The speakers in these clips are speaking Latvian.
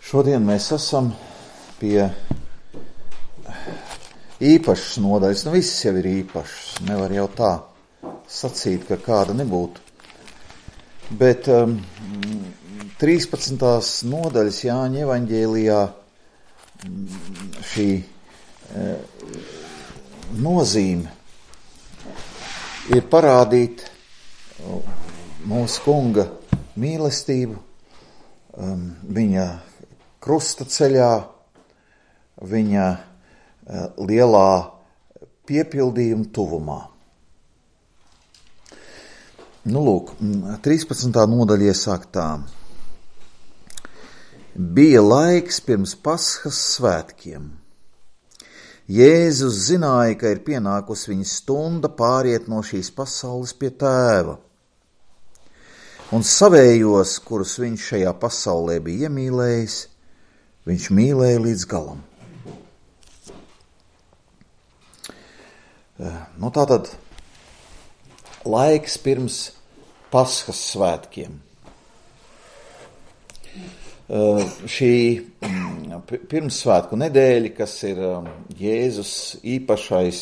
Šodien mēs esam pie īpašas nodaļas. Visas jau ir īpašas. Nevar jau tā sacīt, ka kāda nebūtu. Bet 13. nodaļas Jāņa evaņģēlijā šī nozīme ir parādīt mūsu Kunga mīlestību, viņa krusta ceļā, viņa lielā piepildījuma tuvumā. Lūk, 13. nodaļa iesāk tā. Bija laiks pirms Paskas svētkiem. Jēzus zināja, ka ir pienākusi viņa stunda pāriet no šīs pasaules pie Tēva. Un savējos, kurus viņš šajā pasaulē bija iemīlējis, viņš mīlēja līdz galam. Tātad laiks pirms Paskas svētkiem. Šī pirmssvētku nedēļa, kas ir Jēzus īpašais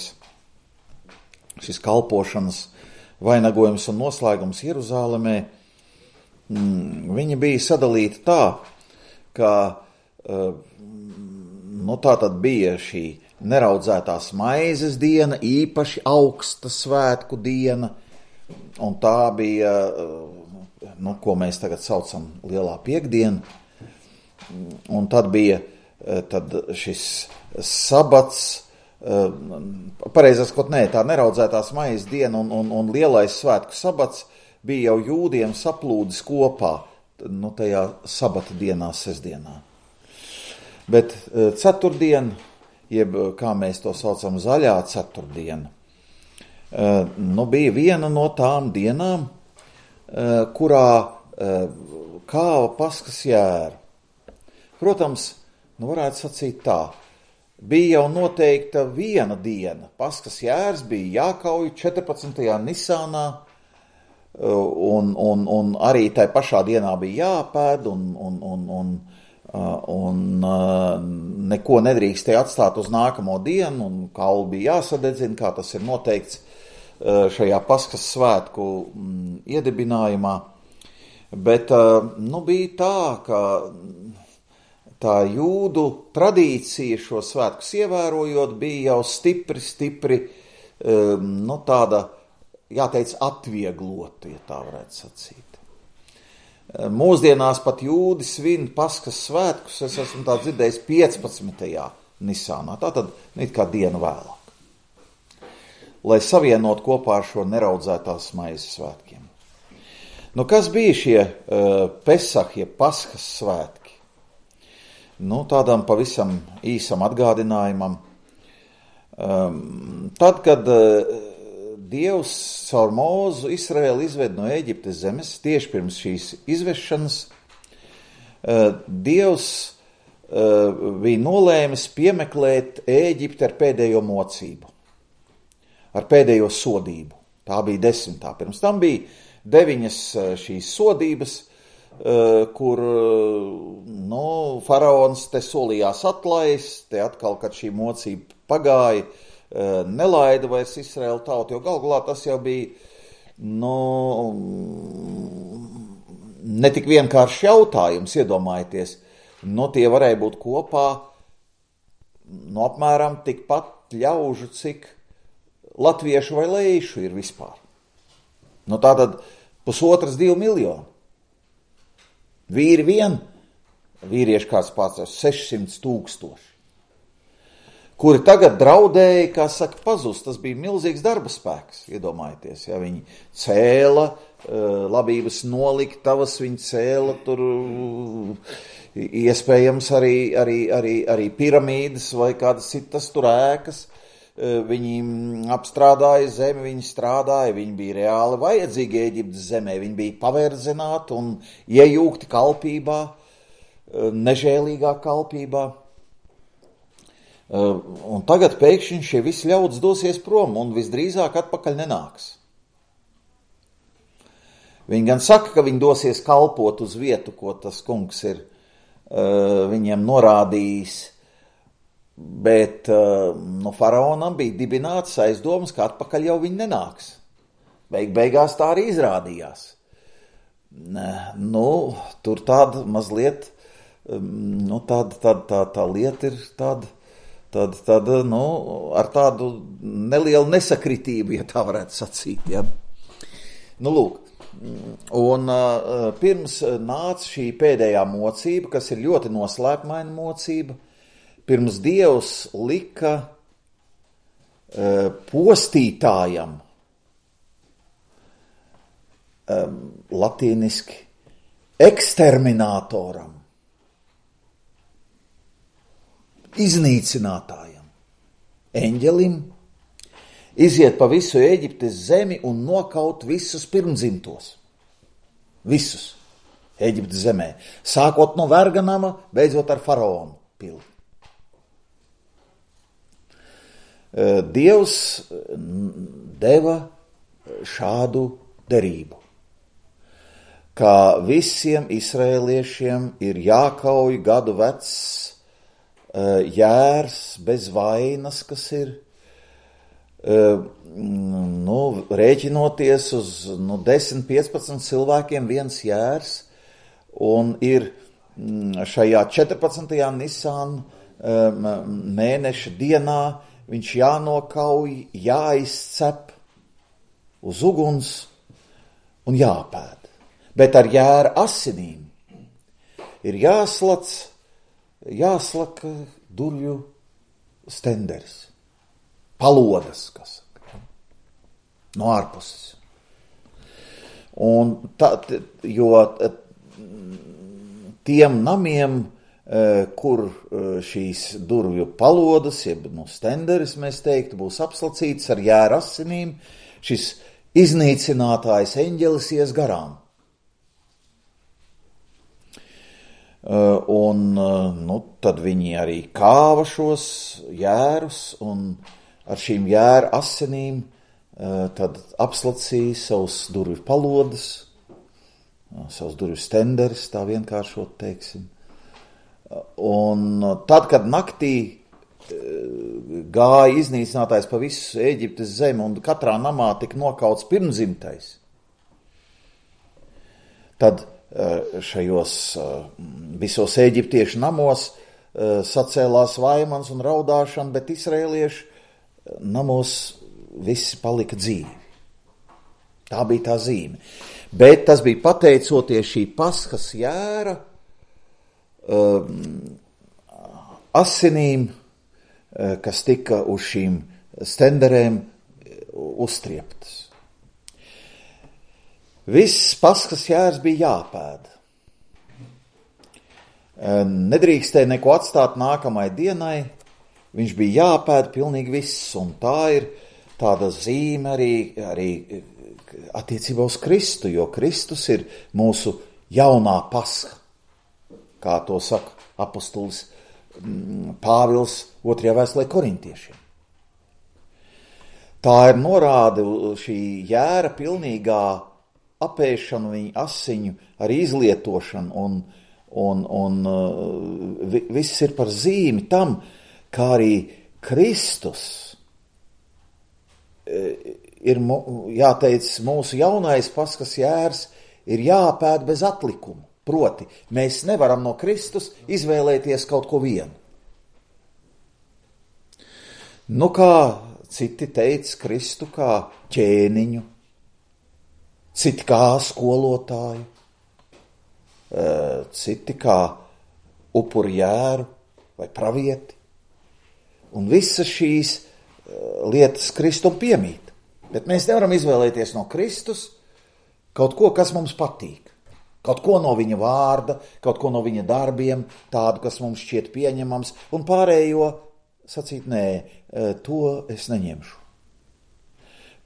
šis kalpošanas vainagojums un noslēgums Jeruzālemē, viņa bija sadalīta tā, ka tā tad bija šī neraudzētās maizes diena, īpaši augsta svētku diena, un tā bija, ko mēs tagad saucam lielā piekdiena, un tad bija šis sabats, pareizāk sakot, tā neraudzētās maizes diena un lielais svētku sabats bija jau jūdiem saplūdis kopā, tajā sabata dienā, sestdienā. Bet ceturtdiena, jeb kā mēs to saucam, zaļā ceturtdiena, bija viena no tām dienām, kurā kāva Paskas jēra. Protams, varētu sacīt tā, bija jau noteikta viena diena. Paskas jērs bija jākauj 14. Nisānā, un arī tai pašā dienā bija jāpēd, un neko nedrīkstēja atstāt uz nākamo dienu, un kauli bija jāsadedzina, kā tas ir noteikts šajā Paskas svētku iedibinājumā. Bet bija tā, ka tā jūdu tradīcija šo svētkus ievērojot bija jau stipri, tāda, jāteic, atvieglota, ja tā varētu sacīt. Mūsdienās pat jūdi svin Paskas svētkus, es esmu tā dzirdējis 15. Nisānā, tātad kā dienu vēlāk, lai savienot kopā ar šo neraudzētās maizes svētkiem. Kas bija šie Pesach, ja Paskas svētki? Tādam pavisam īsam atgādinājumam. Tad, kad Dievs caur Mūzu Izraēlu izved no Ēģiptes zemes, tieši pirms šīs izvešanas, Dievs bija nolēmis piemeklēt Ēģipti ar pēdējo mocību, ar pēdējo sodību. Tā bija 10. Pirms tam bija 9 šīs sodības, kur faraons te solījās atlaist, te atkal, kad šī mocība pagāja, nelaida vairs Izraēlu tautu, jo galvā tas jau bija ne tik vienkārši jautājums, iedomājieties, tie varēja būt kopā apmēram tikpat ļaužu, cik latviešu vai leišu ir vispār. Tātad 1,5–2 miljoni. Vīri vīrieši kāds pārstāv 600 000, kuri tagad draudēja, kā saka, pazust. Tas bija milzīgs darba spēks, iedomājieties, ja viņi cēla labības noliktavas, viņi cēla tur iespējams arī piramīdas vai kādas citas tur ēkas. Viņi apstrādāja zemi, viņi strādāja, viņi bija reāli vajadzīgi Ēģiptes zemē, viņi bija paverdzināti un iejūgti kalpībā, nežēlīgā kalpībā. Un tagad pēkšņi šie visi ļaudis dosies prom un visdrīzāk atpakaļ nenāks. Viņi gan saka, ka viņi dosies kalpot uz vietu, ko tas kungs ir viņiem norādījis, bet faraonam bija dibināts aizdomas, ka atpakaļ jau viņi nenāks. Beigās tā arī izrādījās. Tur tāda mazliet, tā lieta ir tāda, ar tādu nelielu nesakritību, ja tā varētu sacīt, ja. Lūk, un pirms nāca šī pēdējā mocība, kas ir ļoti noslēpmaina mocība, pirms Dievs lika postītājam, latīniski eksterminatoram, iznīcinātājam, eņģelim, iziet pa visu Ēģiptes zemi un nokaut visus pirmdzimtos. Visus Ēģiptes zemē. Sākot no Verganama, beidzot ar faraonu pili. Dievs deva šādu derību, ka visiem izraēliešiem ir jākauj gadu vecs jērs bez vainas, kas ir, rēķinoties uz 10-15 cilvēkiem viens jērs, un ir šajā 14. Nisan mēneša dienā viņš jānokauj, jāizcep uz uguns un jāpēd. Bet ar jēra asinīm ir jāslaka durvju stenderis, palodas, kas no ārpuses. Un jo tiem namiem, kur šīs durvju palodas, jeb stenderis, mēs teiktu, būs apslacīts ar jēra asinīm, šis iznīcinātājs eņģelis ies garām. Tad viņi arī kāva šos jērus un ar šīm jēra asinīm tad apslacīja savus durvju palodas, savus durvju stenderis, tā vienkāršot teiksim. Un tad, kad naktī gāja iznīcinātājs pa visu Ēģiptes zemi un katrā namā tika nokauts pirmdzimtais, tad šajos visos ēģiptiešu namos sacēlās vaimans un raudāšana, bet izraēliešu namos visi palika dzīvi. Tā bija tā zīme. Bet tas bija pateicoties šī Paskas jēra asinīm, kas tika uz šīm stenderēm uztrieptas. Viss Paskas jērs bija jāpēd. Nedrīkstēja neko atstāt nākamai dienai, viņš bija jāpēd pilnīgi viss, un tā ir tāda zīme arī attiecībā uz Kristu, jo Kristus ir mūsu jaunā Pasha, kā to saka apostolis Pāvils 2. vēstulē korintiešiem. Tā ir norāde šī jēra pilnīgā apēšanu, viņa asiņu ar izlietošanu, un viss ir par zīmi tam, kā arī Kristus ir, jāteic, mūsu jaunais Paskas jērs ir jāpēd bez atlikuma. Proti, mēs nevaram no Kristus izvēlēties kaut ko vienu. Kā citi teica Kristu kā ķēniņu, citi kā skolotāju, citi kā upuri jēru vai pravieti. Un visas šīs lietas Kristum piemīt. Bet mēs nevaram izvēlēties no Kristus kaut ko, kas mums patīk. Kaut ko no viņa vārda, kaut ko no viņa darbiem, tādu, kas mums šķiet pieņemams, un pārējo sacīt, nē, to es neņemšu.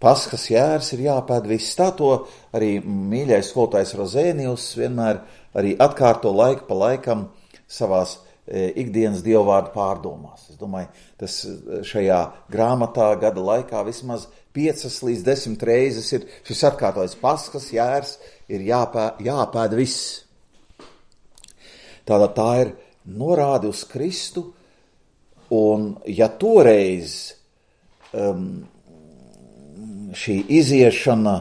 Paskas jērs ir jāpēd viss. Tā to arī mīļais skolotājs Rozēnijus vienmēr arī atkārto laiku pa laikam savās ikdienas dievvvārdu pārdomās. Es domāju, tas šajā grāmatā gada laikā vismaz 5 līdz 10 reizes ir šis atkārtojas. Paskas jērs ir jāpēd viss. Tātad tā ir norāde uz Kristu, un ja toreiz šī iziešana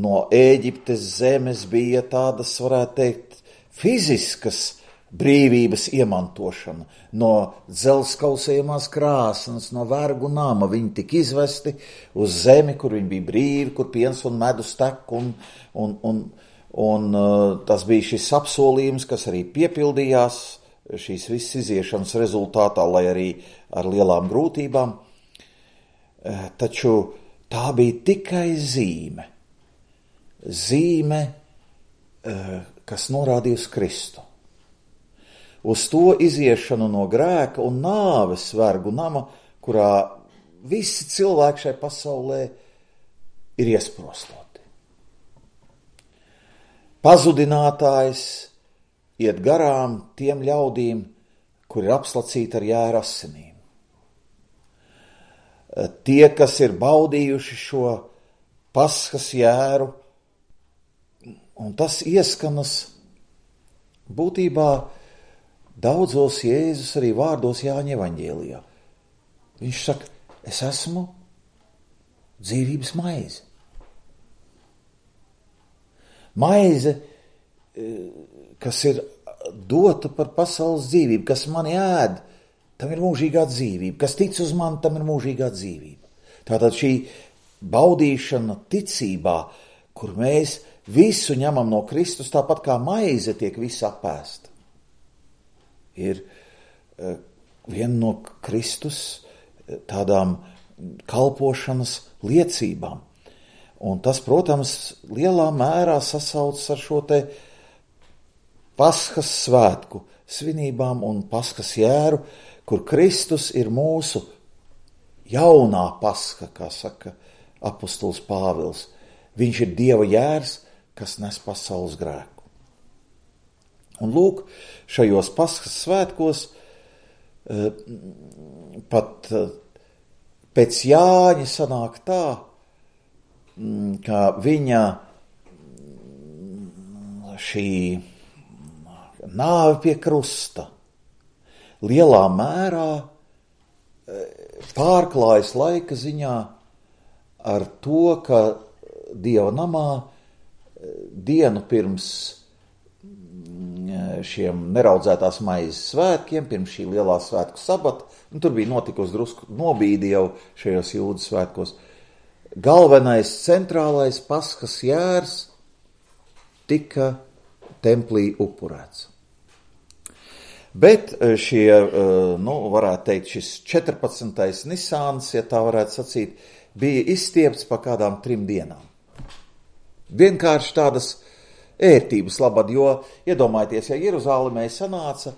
no Ēģiptes zemes bija tādas, varētu teikt, fiziskas brīvības iemantošana, no dzelzskausējumās krāsnes, no vergu nama, viņi tika izvesti uz zemi, kur viņi bija brīvi, kur piens un medus tek, un tas bija šis apsolījums, kas arī piepildījās šīs visas iziešanas rezultātā, lai arī ar lielām grūtībām. Taču tā bija tikai zīme, kas norādīja uz Kristu. Uz to iziešanu no grēka un nāves vergu nama, kurā visi cilvēki šai pasaulē ir iesprostoti. Pazudinātājs iet garām tiem ļaudīm, kuri ir apslacīti ar jēra asinīm. Tie, kas ir baudījuši šo Paskas jēru, un tas ieskanas būtībā daudzos Jēzus arī vārdos Jāņa evaņģēlijā. Viņš saka, es esmu dzīvības maize. Maize, kas ir dota par pasaules dzīvību, kas mani ēd, tam ir mūžīgā dzīvība. Kas tic uz mani, tam ir mūžīgā dzīvība. Tātad šī baudīšana ticībā, kur mēs visu ņemam no Kristus, tāpat kā maize tiek visa apēsta, ir viena no Kristus tādām kalpošanas liecībām. Un tas, protams, lielā mērā sasaucas ar šo te Paskas svētku svinībām un Paskas jēru, kur Kristus ir mūsu jaunā Paska, kā saka apostols Pāvils. Viņš ir Dieva jērs, kas nes pasaules grēku. Un lūk, šajos Paskas svētkos pat pēc Jāņa sanāk tā, ka viņa šī nāve pie krusta lielā mērā pārklājas laika ziņā ar to, ka Dieva namā dienu pirms šiem neraudzētās maizes svētkiem, pirms šī lielā svētku sabata, un tur bija notikusi drusku nobīdi jau šajos jūdas svētkos, galvenais centrālais Paskas jērs tika templī upurēts. Bet šie, varētu teikt, šis 14. Nisāns, ja tā varētu sacīt, bija izstiepts pa kādām 3 dienām. Vienkārši tādas ērtības labad, jo, iedomājieties, ja Jeruzālemē sanāca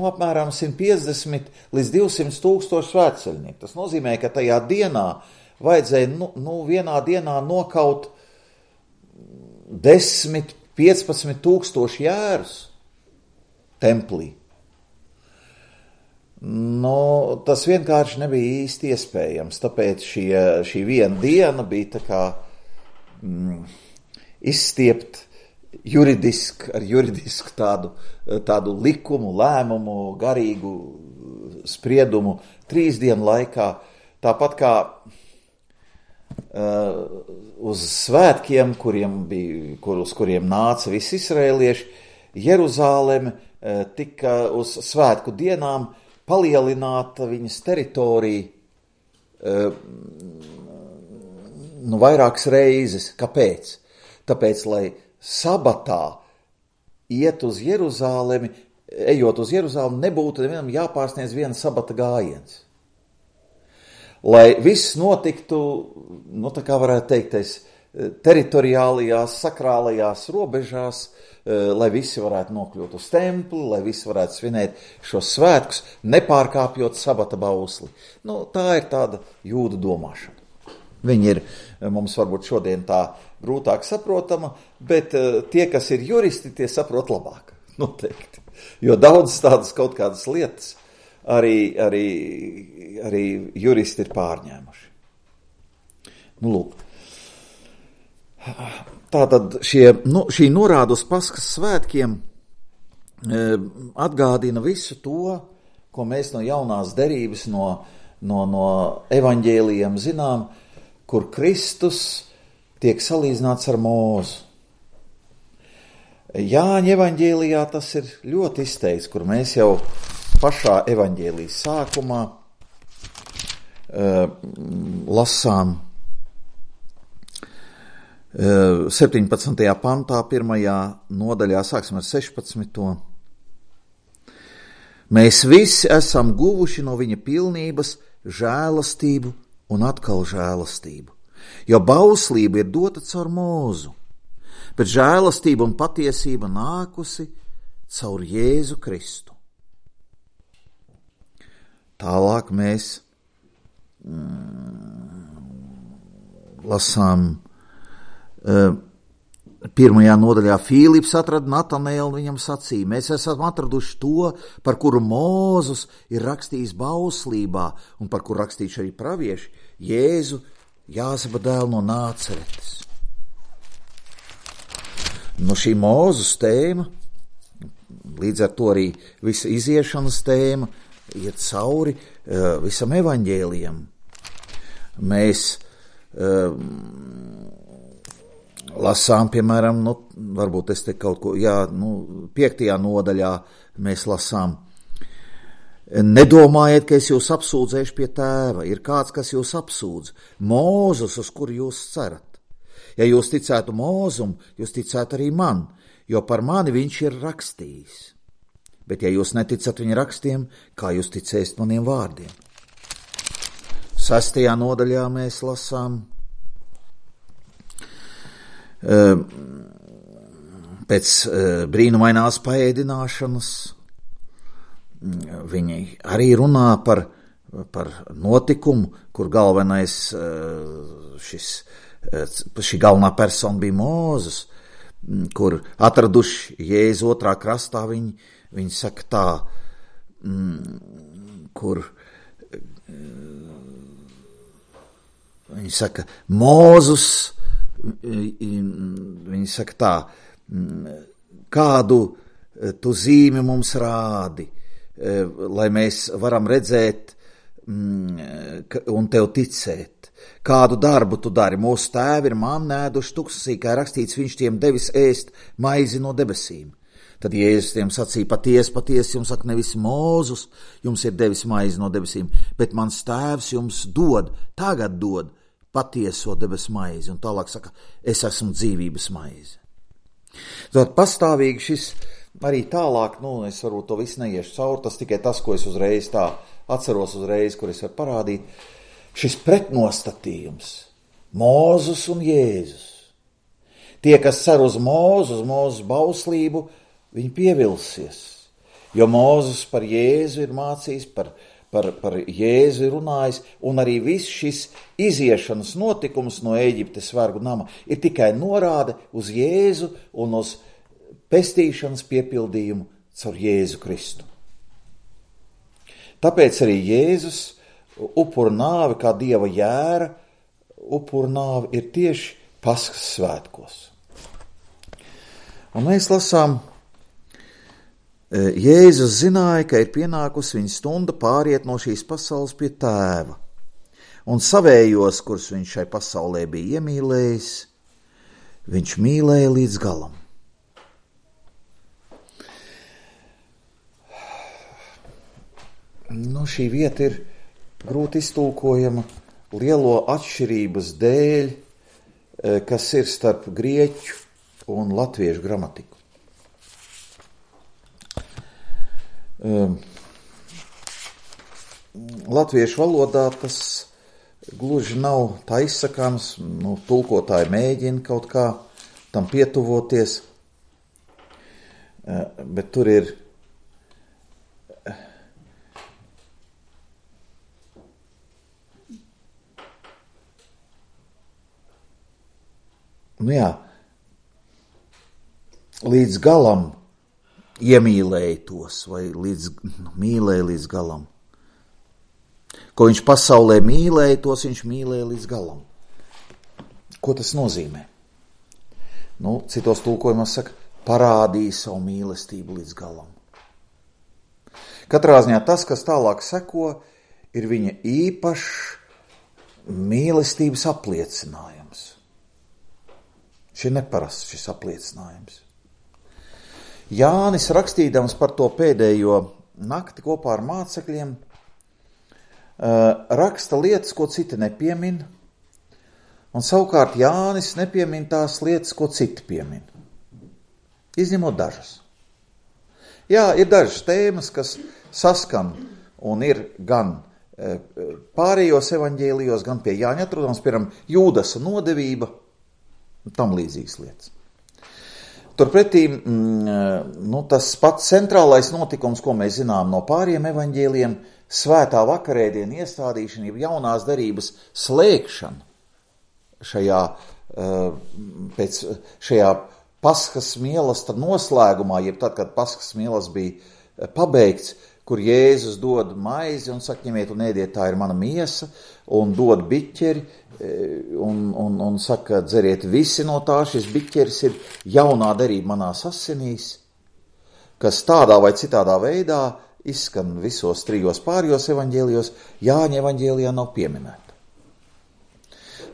apmēram 150 līdz 200 tūkstoši svētceļnieku. Tas nozīmē, ka tajā dienā vajadzēja vienā dienā nokaut 10-15 tūkstoši jērus templī. Tas vienkārši nebija īsti iespējams, tāpēc šī viena diena bija tā kā izstiept ar juridisku tādu likumu, lēmumu, garīgu spriedumu 3 dienu laikā. Tāpat kā uz svētkiem, uz kuriem nāca visi izraēlieši, Jeruzāleme tika uz svētku dienām palielināta viņas teritorija vairākas reizes. Kāpēc? Tāpēc, lai sabatā ejot uz Jeruzālemi, nebūtu nevienam jāpārsniedz viena sabata gājiens. Lai viss notiktu, tā kā varētu teikties, teritoriālajās, sakrālajās robežās, lai visi varētu nokļūt uz templi, lai visi varētu svinēt šos svētkus, nepārkāpjot sabata bausli. Tā ir tāda jūdu domāšana. Viņi ir mums varbūt šodien tā grūtāk saprotama, bet tie, kas ir juristi, tie saprot labāk, noteikti. Jo daudz tādas kaut kādas lietas arī juristi ir pārņēmuši. Lūk. Tātad šī norāda uz Paskas svētkiem atgādina visu to, ko mēs no jaunās derības, no evaņģēlijiem zinām, kur Kristus tiek salīdzināts ar Mūzu. Jāņa evaņģēlijā tas ir ļoti izteikts, kur mēs jau pašā evaņģēlijas sākumā lasām 17. pantā, 1. nodaļā, sāksim ar 16. Mēs visi esam guvuši no viņa pilnības žēlastību un atkal žēlastību, jo bauslība ir dota caur Mūzu, bet žēlastība un patiesība nākusi caur Jēzu Kristu. Tālāk mēs lasām 1. nodaļā. Fīlips atrada Natanēlu, viņam sacīja: mēs esam atraduši to, par kuru Mūzus ir rakstījis bauslībā un par kuru rakstījuši arī pravieši, Jēzu, Jāzepa dēlu no Nāceretes. Šī Mūzus tēma, līdz ar to arī visa iziešanas tēma, iet cauri visam evaņģēlijam. Mēs lasām, piemēram, varbūt es te kaut ko, 5. nodaļā mēs lasām: nedomājiet, ka es jūs apsūdzēšu pie tēva, ir kāds, kas jūs apsūdz, Mūzus, uz kuru jūs cerat. Ja jūs ticētu Mūzum, jūs ticētu arī man, jo par mani viņš ir rakstījis. Bet ja jūs neticat viņa rakstiem, kā jūs ticēsiet maniem vārdiem? 6. nodaļā mēs lasām: pēc brīnumainās paēdināšanas viņi arī runā par notikumu, kur šī galvenā persona bija Mūzus, kur atraduši Jēzu otrā krastā, viņi saka tā, kur viņi saka Mūzus, viņi saka tā, kādu tu zīmi mums rādi, lai mēs varam redzēt un tev ticēt. Kādu darbu tu dari? Mūsu tēvi ir mannu ēduši tuksnesī, kā rakstīts, viņš tiem devis ēst maizi no debesīm. Tad Jēzus tiem sacīja: patiesi jums saka, nevis Mūzus jums ir devis maizi no debesīm, bet mans tēvs jums tagad dod patieso debesu maizi. Un tālāk saka: es esmu dzīvības maize. Tad pastāvīgi šis arī tālāk, es varbūt to visu neiešu cauri, tas tikai tas, ko es uzreiz tā atceros kur es varu parādīt. Šis pretnostatījums, Mūzus un Jēzus. Tie, kas cer uz Mūzus bauslību, viņi pievilsies, jo Mūzus par Jēzu ir mācījis, par Jēzu ir runājis, un arī viss šis iziešanas notikums no Ēģiptes vergu nama ir tikai norāde uz Jēzu un uz pestīšanas piepildījumu caur Jēzu Kristu. Tāpēc arī Jēzus upuru nāve, kā Dieva jēra, upuru nāve ir tieši Paskas svētkos. Un mēs lasām: Jēzus zināja, ka ir pienākusi viņa stunda pāriet no šīs pasaules pie tēva, un savējos, kurus viņš šai pasaulē bija iemīlējis, viņš mīlēja līdz galam. Šī vieta ir grūti iztulkojama lielo atšķirības dēļ, kas ir starp grieķu un latviešu gramatiku. Latviešu valodā tas gluži nav tā izsakāms, tulkotāji mēģina kaut kā tam pietuvoties, bet tur ir līdz galam iemīlēja tos, vai mīlēja līdz galam. Ko viņš pasaulē mīlēja, tos viņš mīlēja līdz galam. Ko tas nozīmē? Citos tulkojumos saka, parādīja savu mīlestību līdz galam. Katrā ziņā tas, kas tālāk seko, ir viņa īpašs mīlestības apliecinājums. Šis ir neparasts šis apliecinājums. Jānis rakstīdams par to pēdējo nakti kopā ar mācekļiem, raksta lietas, ko citi nepiemin, un savukārt Jānis nepiemin tās lietas, ko citi piemin. Izņemot dažas. Jā, ir dažas tēmas, kas saskan un ir gan pārējos evaņģēlijos, gan pie Jāņa atrodams, piemēram, Jūdasa nodevība, tam līdzīgas lietas. Turpretī, tas pats centrālais notikums, ko mēs zinām no pāriem evaņģēlijiem, svētā vakarēdiena iestādīšana, jaunās darības slēgšana šajā Paskas mielasta noslēgumā, jeb tad, kad Paskas mielasts bija pabeigts, kur Jēzus dod maizi un saka, ņemiet un ēdiet, tā ir mana miesa, un dod biķeri, un saka, dzeriet visi no tā, šis biķeris ir jaunā darība manās asinīs, kas tādā vai citādā veidā izskan visos 3 pārējos evaņģēlijos, Jāņa evaņģēlijā nav pieminēta.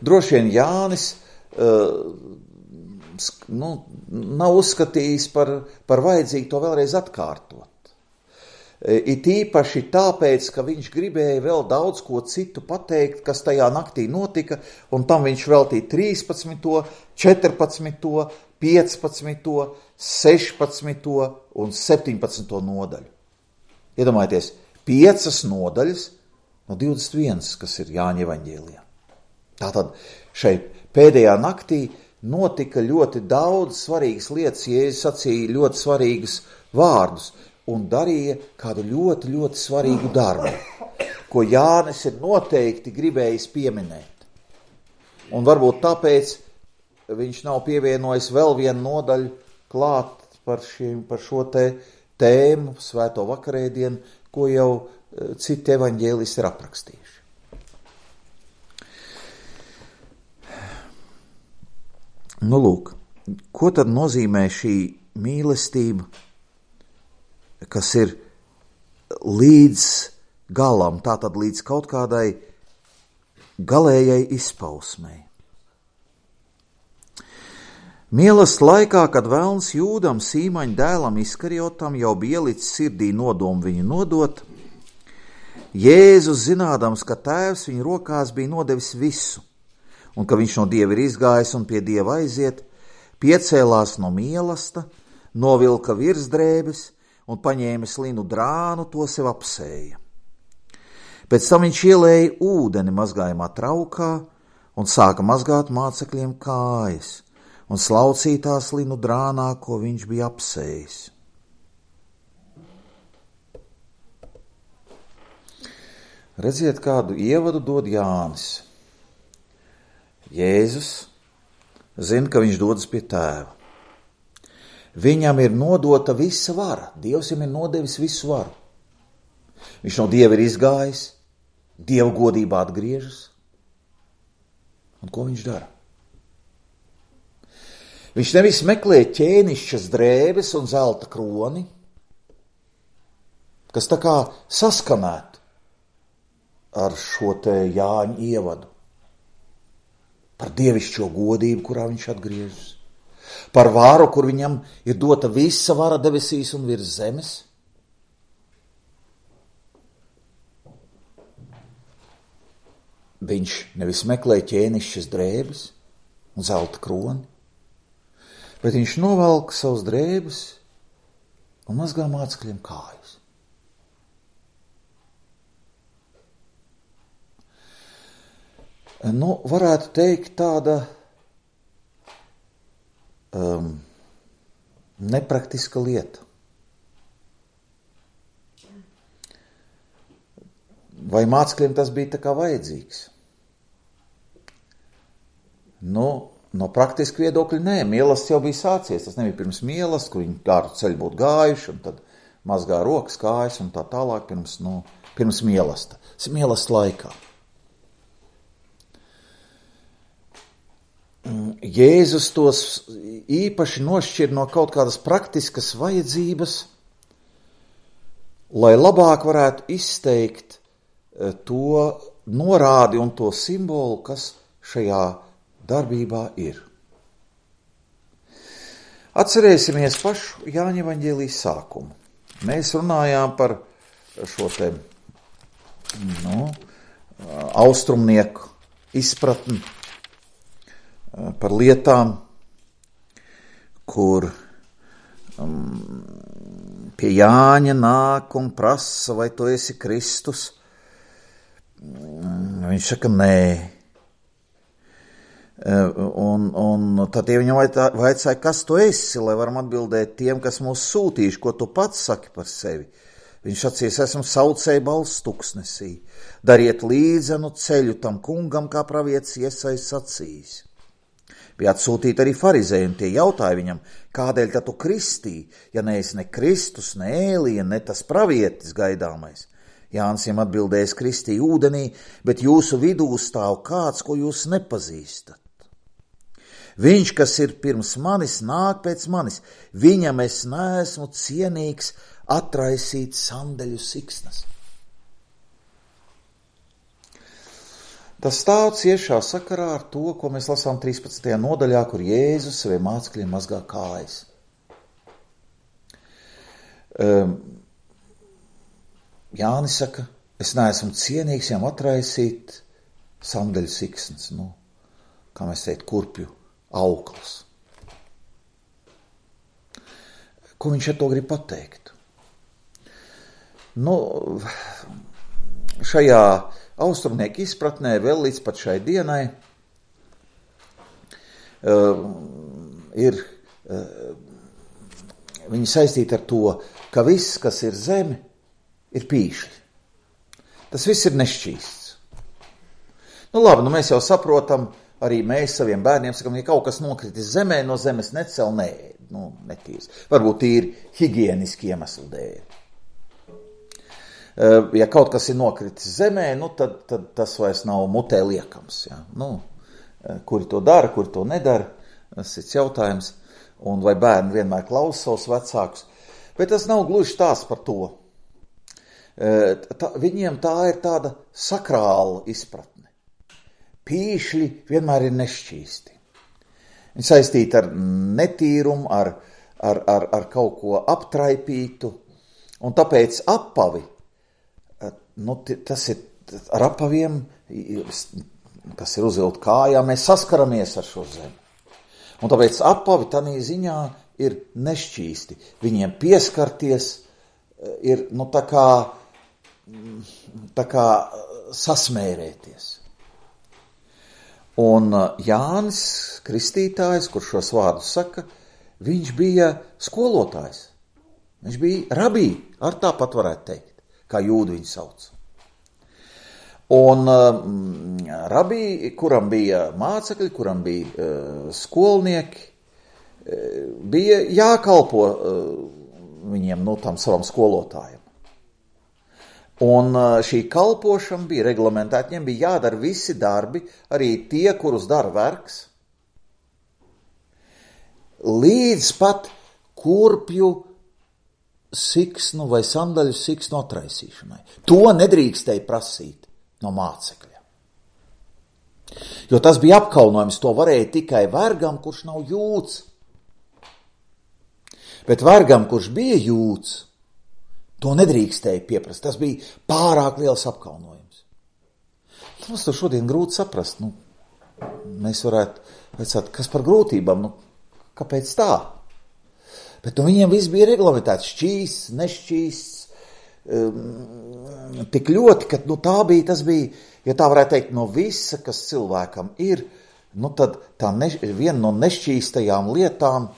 Droši vien Jānis nav uzskatījis par vajadzīgu to vēlreiz atkārtot. It īpaši tāpēc, ka viņš gribēja vēl daudz ko citu pateikt, kas tajā naktī notika, un tam viņš veltīja 13., 14., 15., 16. un 17. nodaļu. Iedomājieties, 5 nodaļas no 21, kas ir Jāņa evaņģēlijā. Tātad šeit pēdējā naktī notika ļoti daudz svarīgas lietas, Jēzus sacīja ļoti svarīgus vārdus un darīja kādu ļoti, ļoti svarīgu darbu, ko Jānis ir noteikti gribējis pieminēt. Un varbūt tāpēc viņš nav pievienojis vēl vienu nodaļu klāt par šo tēmu, svēto vakarēdienu, ko jau citi evaņģēlisti ir aprakstījuši. Nu, lūk, ko tad nozīmē šī mīlestība, kas ir līdz galam, tātad līdz kaut kādai galējai izpausmei? Mīlestības laikā, kad velns Jūdam, Sīmaņa dēlam Iskariotam, jau bija ielicis sirdī nodomu viņu nodot, Jēzus, zinādams, ka tēvs viņa rokās bija nodevis visu, un ka viņš no Dieva ir izgājis un pie Dieva aiziet, piecēlās no mīlesta, novilka virsdrēbes un paņēmis linu drānu, to sev apsēja. Pēc tam viņš ielēja ūdeni mazgājumā traukā un sāka mazgāt mācekļiem kājas un slaucītās linu drānā, ko viņš bija apsējis. Redziet, kādu ievadu dod Jānis. Jēzus zina, ka viņš dodas pie tēva. Viņam ir nodota visa vara. Dievs viņam ir nodevis visu varu. Viņš no Dieva ir izgājis, Dieva godībā atgriežas. Un ko viņš dara? Viņš nevis meklē ķēnišķas drēbes un zelta kroni, kas tā kā saskanētu ar šo te Jāņa ievadu. Par dievišķo godību, kurā viņš atgriežas, par vāru, kur viņam ir dota visa vara debesīs un virs zemes. Viņš nevis meklē ķēnišķas drēbes un zelta kroni, bet viņš novelk savus drēbes un mazgā mācekļiem kājas. Varētu teikt tāda nepraktiska lieta. Vai mācekļiem tas bija tā kā vajadzīgs? No praktiska viedokļa nē, mielasts jau bija sācies. Tas nebija pirms mielasts, kur viņi kādu ceļu būtu gājuši un tad mazgā rokas, kājas un tā tālāk pirms mielasta. Tas ir mielasta laikā. Jēzus tos īpaši nošķir no kaut kādas praktiskas vajadzības, lai labāk varētu izteikt to norādi un to simbolu, kas šajā darbībā ir. Atcerēsimies pašu Jāņa evaņģēlijas sākumu. Mēs runājām par šo te austrumnieku izpratni, par lietām, kur pie Jāņa nāk un prasa, vai tu esi Kristus. Viņš saka, nē. Un tad viņam vaicāja, kas tu esi, lai varam atbildēt tiem, kas mūs sūtījuši, ko tu pats saki par sevi. Viņš sacīs, esmu saucēja balss tuksnesī. Dariet līdzenu ceļu tam kungam, kā pravietis Iesais sacījis. Bija atsūtīti arī farizēji, un tie jautāja viņam, kādēļ tad tu kristī, ja neesi ne Kristus, ne Ēlija, ne tas pravietis gaidāmais. Jānis viņam atbildējis, kristīja ūdenī, bet jūsu vidū stāv kāds, ko jūs nepazīstat. Viņš, kas ir pirms manis, nāk pēc manis. Viņam es neesmu cienīgs atraisīt sandeļu siksnas. Tas stāv ciešā sakarā ar to, ko mēs lasām 13. nodaļā, kur Jēzus saviem mācekļiem mazgā kājas. Jānis saka, es neesmu cienīgs viņam atraisīt sandeļu siksnas, kā mēs teikt, kurpju aukls. Ko viņš ar to grib pateikt? Šajā austrumnieku izpratnē vēl līdz pat šai dienai ir viņi saistīti ar to, ka viss, kas ir zeme, ir pīšļi. Tas viss ir nešķīsts. Labi, mēs jau saprotam, arī mēs saviem bērniem sakam, ja kaut kas nokritis zemē, no zemes necel, netīrs. Varbūt tīri higieniski iemeslu dēļ. Ja kaut kas ir nokritis zemē, tad tas vairs nav mutē liekams. Ja? Kuri to dara, kuri to nedara, tas ir jautājums. Un vai bērni vienmēr klausa savus vecākus. Bet tas nav gluži tās par to. Viņiem tā ir tāda sakrāla izpratne. Pīšļi vienmēr ir nešķīsti. Viņi saistīti ar netīrumu, ar kaut ko aptraipītu. Un tāpēc apavi, tas ir ar apaviem, kas ir uzvilkt kājām, mēs saskaramies ar šo zemi. Un tāpēc apavi tādā ziņā ir nešķīsti. Viņiem pieskarties ir tā kā sasmērēties. Un Jānis Kristītājs, kurš šos vārdus saka, viņš bija skolotājs. Viņš bija rabī, ar tāpat varētu teikt, kā jūdi viņu sauc. Un rabī, kuram bija mācekļi, kuram bija skolnieki, bija jākalpo viņiem, tam savam skolotājam. Un šī kalpošana bija reglamentēta, viņiem bija jādara visi darbi, arī tie, kurus dara vergs, līdz pat kurpju siksnu vai sandaļu siksnu atraisīšanai. To nedrīkstēja prasīt no mācekļa. Jo tas bija apkaunojums, to varēja tikai vergam, kurš nav jūds. Bet vergam, kurš bija jūds, to nedrīkstēja pieprast. Tas bija pārāk liels apkaunojums. Mums to šodien grūti saprast. Mēs varētu vecāt, kas par grūtībām, kāpēc tā? Bet viņiem viss bija reglamentēts, šķīsts, nešķīsts, tik ļoti, ka tas bija, ja tā varētu teikt, no visa, kas cilvēkam ir, tad viena no nešķīstajām lietām,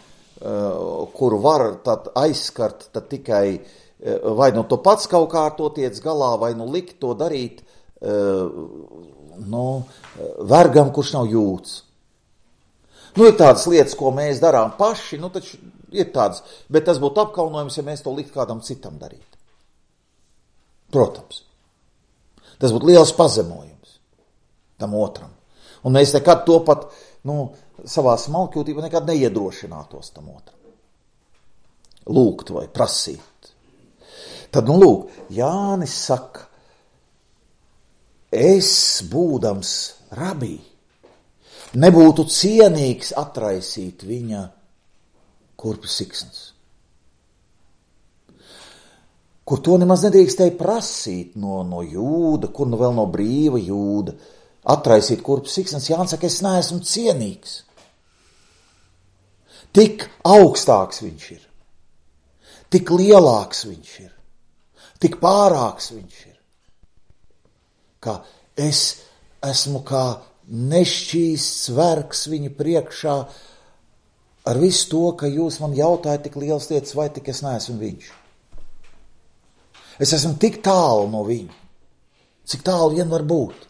kuru var tad aizskart tad tikai vai tu pats kaut kā ar to tiec galā, vai likt to darīt vergam, kurš nav jūds. Ir tādas lietas, ko mēs darām paši, taču ir tādas, bet tas būtu apkaunojums, ja mēs to likt kādam citam darīt. Protams. Tas būtu liels pazemojums tam otram. Un mēs nekad to pat, savā smalkjūtībā nekad neiedrošinātos tam otram. Lūgt vai prasīt. Tad, lūk, Jānis saka, es, būdams rabī, nebūtu cienīgs atraisīt viņa kurpju siksnas. Kur to nemaz nedrīkstēja prasīt no jūda, kur nu vēl no brīva jūda, atraisīt kurpju siksnas. Jānis saka, es neesmu cienīgs. Tik augstāks viņš ir, tik lielāks viņš ir, tik pārāks viņš ir, ka es esmu kā nešķīsts vergs viņa priekšā ar visu to, ka jūs man jautājat tik lielas lietas, vai tik es neesmu viņš. Es esmu tik tālu no viņa, cik tālu vien var būt.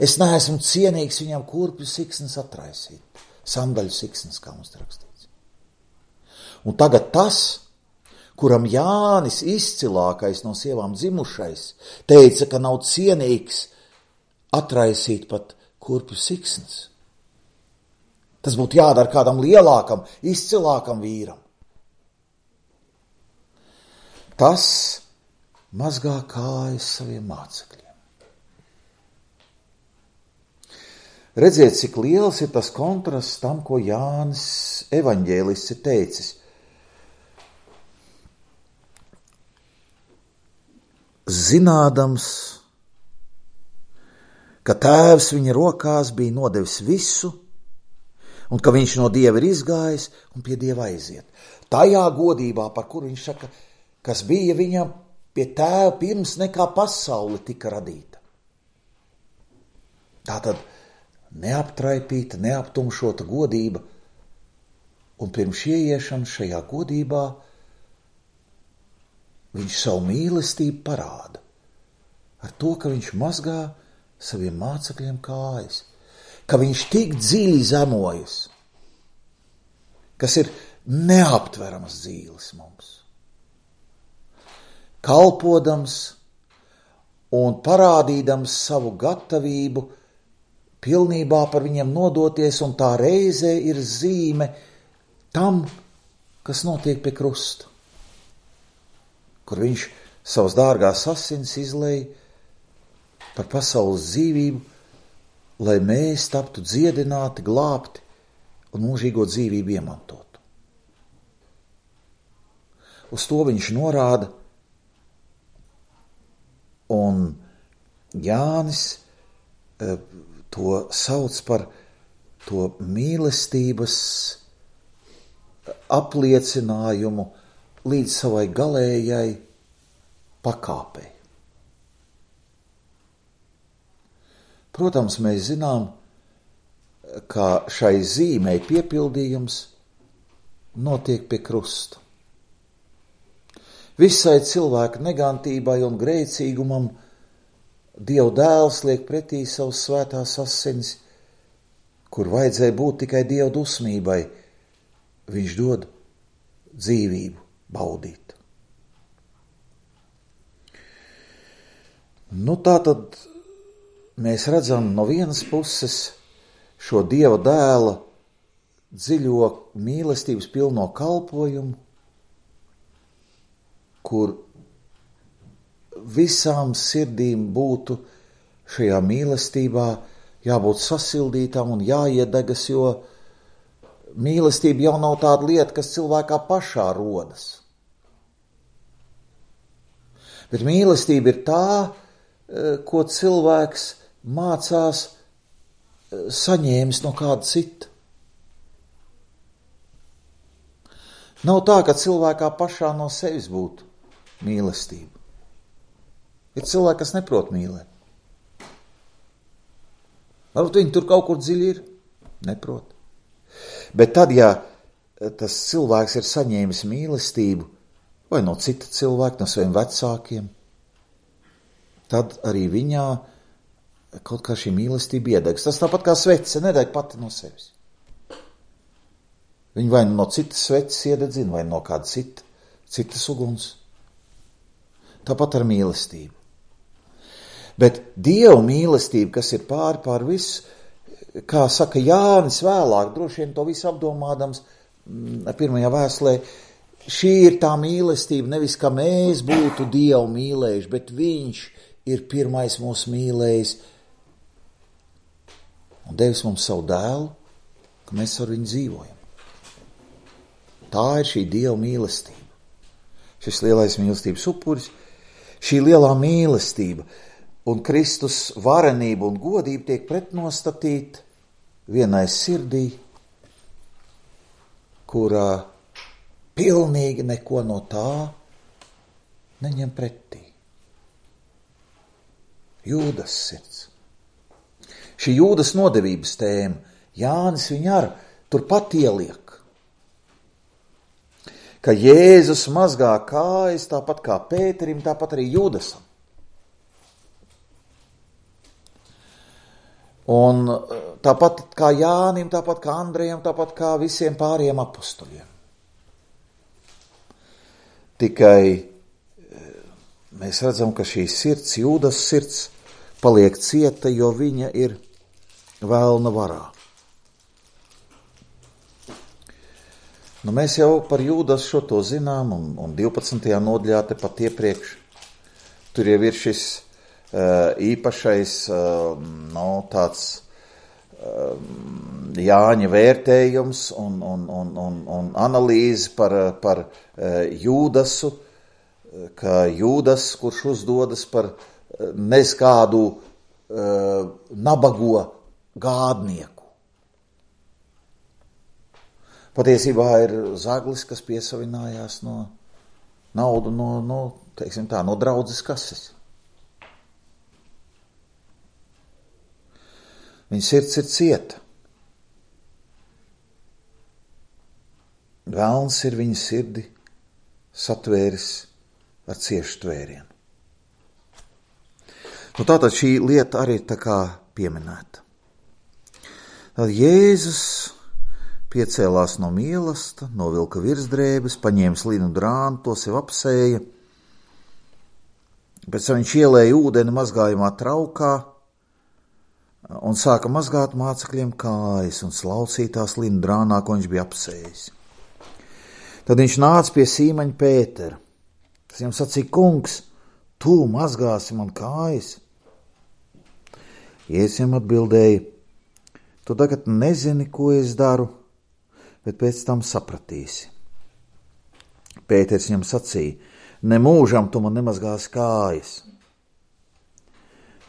Es neesmu cienīgs viņam kurpju siksnas atraisīt, sandaļu siksnas, kā mums rakstīts. Un tagad tas, kuram Jānis izcilākais no sievām dzimušais, teica, ka nav cienīgs atraisīt pat kurpju siksnas. Tas būtu jādara kādam lielākam, izcilākam vīram. Tas mazgā kājas saviem mācekļiem. Redziet, cik liels ir tas kontrasts tam, ko Jānis evaņģēlists ir teicis. Zinādams, ka tēvs viņa rokās bija nodevis visu, un ka viņš no Dieva ir izgājis un pie Dieva aiziet. Tajā godībā, par kuru viņš saka, kas bija viņam pie tēva pirms nekā pasaule tika radīta. Tātad neaptraipīta, neaptumšota godība, un pirms ieiešanas šajā godībā viņš savu mīlestību parāda ar to, ka viņš mazgā saviem mācekļiem kājas, ka viņš tik dziļi zemojas, kas ir neaptveramas dzīves mums. Kalpodams un parādīdams savu gatavību pilnībā par viņiem nodoties, un tā reizē ir zīme tam, kas notiek pie krusta, kur viņš savas dārgās asins izlej par pasaules dzīvību, lai mēs taptu dziedināti, glābti un mūžīgo dzīvību iemantotu. Uz to viņš norāda, un Jānis to sauc par to mīlestības apliecinājumu līdz savai galējai pakāpei. Protams, mēs zinām, ka šai zīmei piepildījums notiek pie krusta. Visai cilvēka negantībai un grēcīgumam Dieva dēls liek pretī savus svētās asinis, kur vajadzēja būt tikai Dieva dusmībai. Viņš dod dzīvību baudīt. Tā tad mēs redzam no vienas puses šo Dieva dēla dziļo mīlestības pilno kalpojumu, kur visām sirdīm būtu šajā mīlestībā jābūt sasildītām un jāiedegas, jo mīlestība jau nav tāda lieta, kas cilvēkā pašā rodas. Bet mīlestība ir tā, ko cilvēks mācās saņēmis no kāda cita. Nav tā, ka cilvēkā pašā no sevis būtu mīlestība. Ir cilvēki, kas neprot mīlēt. Varbūt viņi tur kaut kur dziļi ir, neprot. Bet tad, ja tas cilvēks ir saņēmis mīlestību vai no cita cilvēka, no saviem vecākiem, tad arī viņā kaut kā šī mīlestība iedegs. Tas tāpat kā svece, nedeg pati no sevis. Viņa vai no citas sveces iededzina, vai no kāda citas uguns. Tāpat ar mīlestību. Bet Dieva mīlestība, kas ir pār visu, kā saka Jānis vēlāk, droši vien to visu apdomādams pirmajā vēstulē, šī ir tā mīlestība, nevis ka mēs būtu Dievu mīlējuši, bet viņš ir pirmais mūs mīlējis un devis mums savu dēlu, ka mēs ar viņu dzīvojam. Tā ir šī Dieva mīlestība. Šis lielais mīlestības upuris, šī lielā mīlestība un Kristus varenība un godība tiek pretnostatīta vienai sirdī, kurā pilnīgi neko no tā neņem pretī. Jūdas sirds. Šī Jūdas nodevības tēma, Jānis viņu ar turpat ieliek. Ka Jēzus mazgā kājas tāpat kā Pēterim, tāpat arī Jūdasam. Un tāpat kā Jānim, tāpat kā Andrejam, tāpat kā visiem pāriem apustuļiem. Tikai mēs redzam, ka šī sirds, Jūdas sirds, paliek cieta, jo viņa ir vēlna varā. Nu, mēs jau par Jūdas šo to zinām, un 12. nodaļā tepat iepriekš. Tur jau ir šis īpašais, tāds Jāņa vērtējums un analīze par Jūdasu, ka Jūdas, kurš uzdodas par neskādu nabago gādnieku. Patiesībā ir zaglis, kas piesavinājās no naudu no draudzes kases. Viņa sirds ir cieta. Velns ir viņa sirdi satvēris ar ciešu tvērienu. Nu, tātad šī lieta arī ir tā kā pieminēta. Tad Jēzus piecēlās no mīlesta, novilka virsdrēbes, paņēma linu drānu, to sev apsēja. Pēc tam viņš ielēja ūdeni mazgājumā traukā un sāka mazgāt mācekļiem kājas un slaucītās linu drānā, ko viņš bija apsējis. Tad viņš nāca pie Sīmaņa Pētera. Tas viņam sacīja: kungs, tu mazgāsi man kājas? Jēzus viņam atbildēja: tu tagad nezini, ko es daru, bet pēc tam sapratīsi. Pēters viņam sacīja: nemūžam tu man nemazgāsi kājas.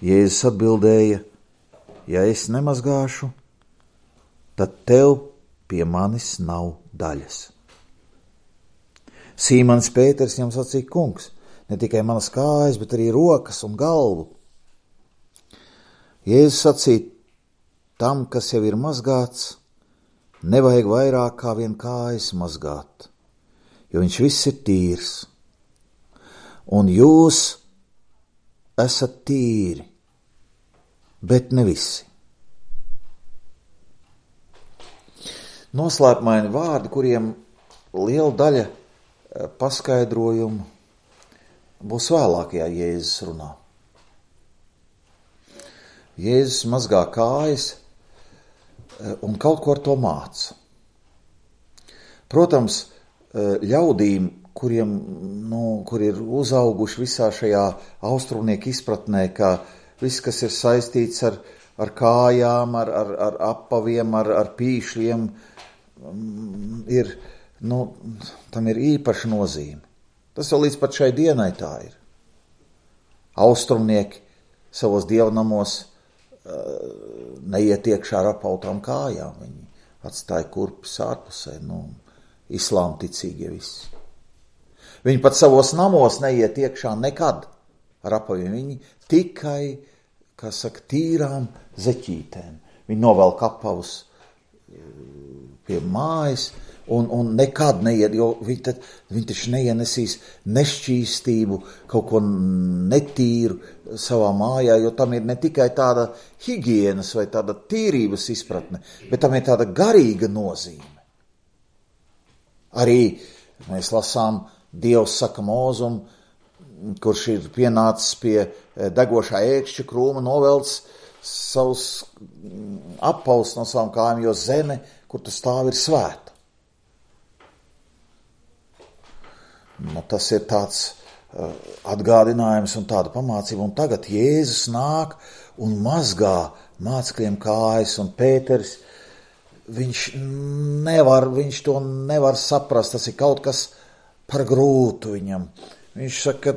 Jēzus atbildēja: ja es nemazgāšu, tad tev pie manis nav daļas. Sīmans Pēters viņam sacīja: kungs, ne tikai manas kājas, bet arī rokas un galvu. Jēzus sacīja: tam, kas jau ir mazgāts, nevajag vairāk kā vien kājas mazgāt, jo viņš viss ir tīrs. Un jūs esat tīri, bet ne visi. Noslēpmaini vārdi, kuriem liela daļa paskaidrojumu būs vēlākajā Jēzus runā. Jēzus mazgā kājas un kaut ko ar to māca. Protams, ļaudīm, kur ir uzauguši visā šajā austrumnieku izpratnē, ka viss, kas ir saistīts ar kājām, ar apaviem, ar pīšļiem, tam ir īpaša nozīme. Tas jau līdz pat šai dienai tā ir. Austrumnieki savos dievnamos neiet iekšā ar apautām kājām. Viņi atstāja kurpes ārpusē, islāma ticīgie visi. Viņi pat savos namos neiet iekšā nekad ar apaviem. Viņi tikai, tīrām zeķītēm. Viņi novelk apavus pie mājas un nekad neiet, jo viņi taču neienesīs nešķīstību, kaut ko netīru savā mājā, jo tam ir ne tikai tāda higienas vai tāda tīrības izpratne, bet tam ir tāda garīga nozīme. Arī mēs lasām, Dievs saka Mūzum, kurš ir pienācis pie degošā ēkšķa krūma, novelc savus apavus no savām kājām, jo zeme, kur tu stāvi, ir svēta. Tas ir tāds atgādinājums un tāda pamācība. Un tagad Jēzus nāk un mazgā mācekļiem kājas, un Pēteris, viņš to nevar saprast, tas ir kaut kas par grūtu viņam. Viņš saka,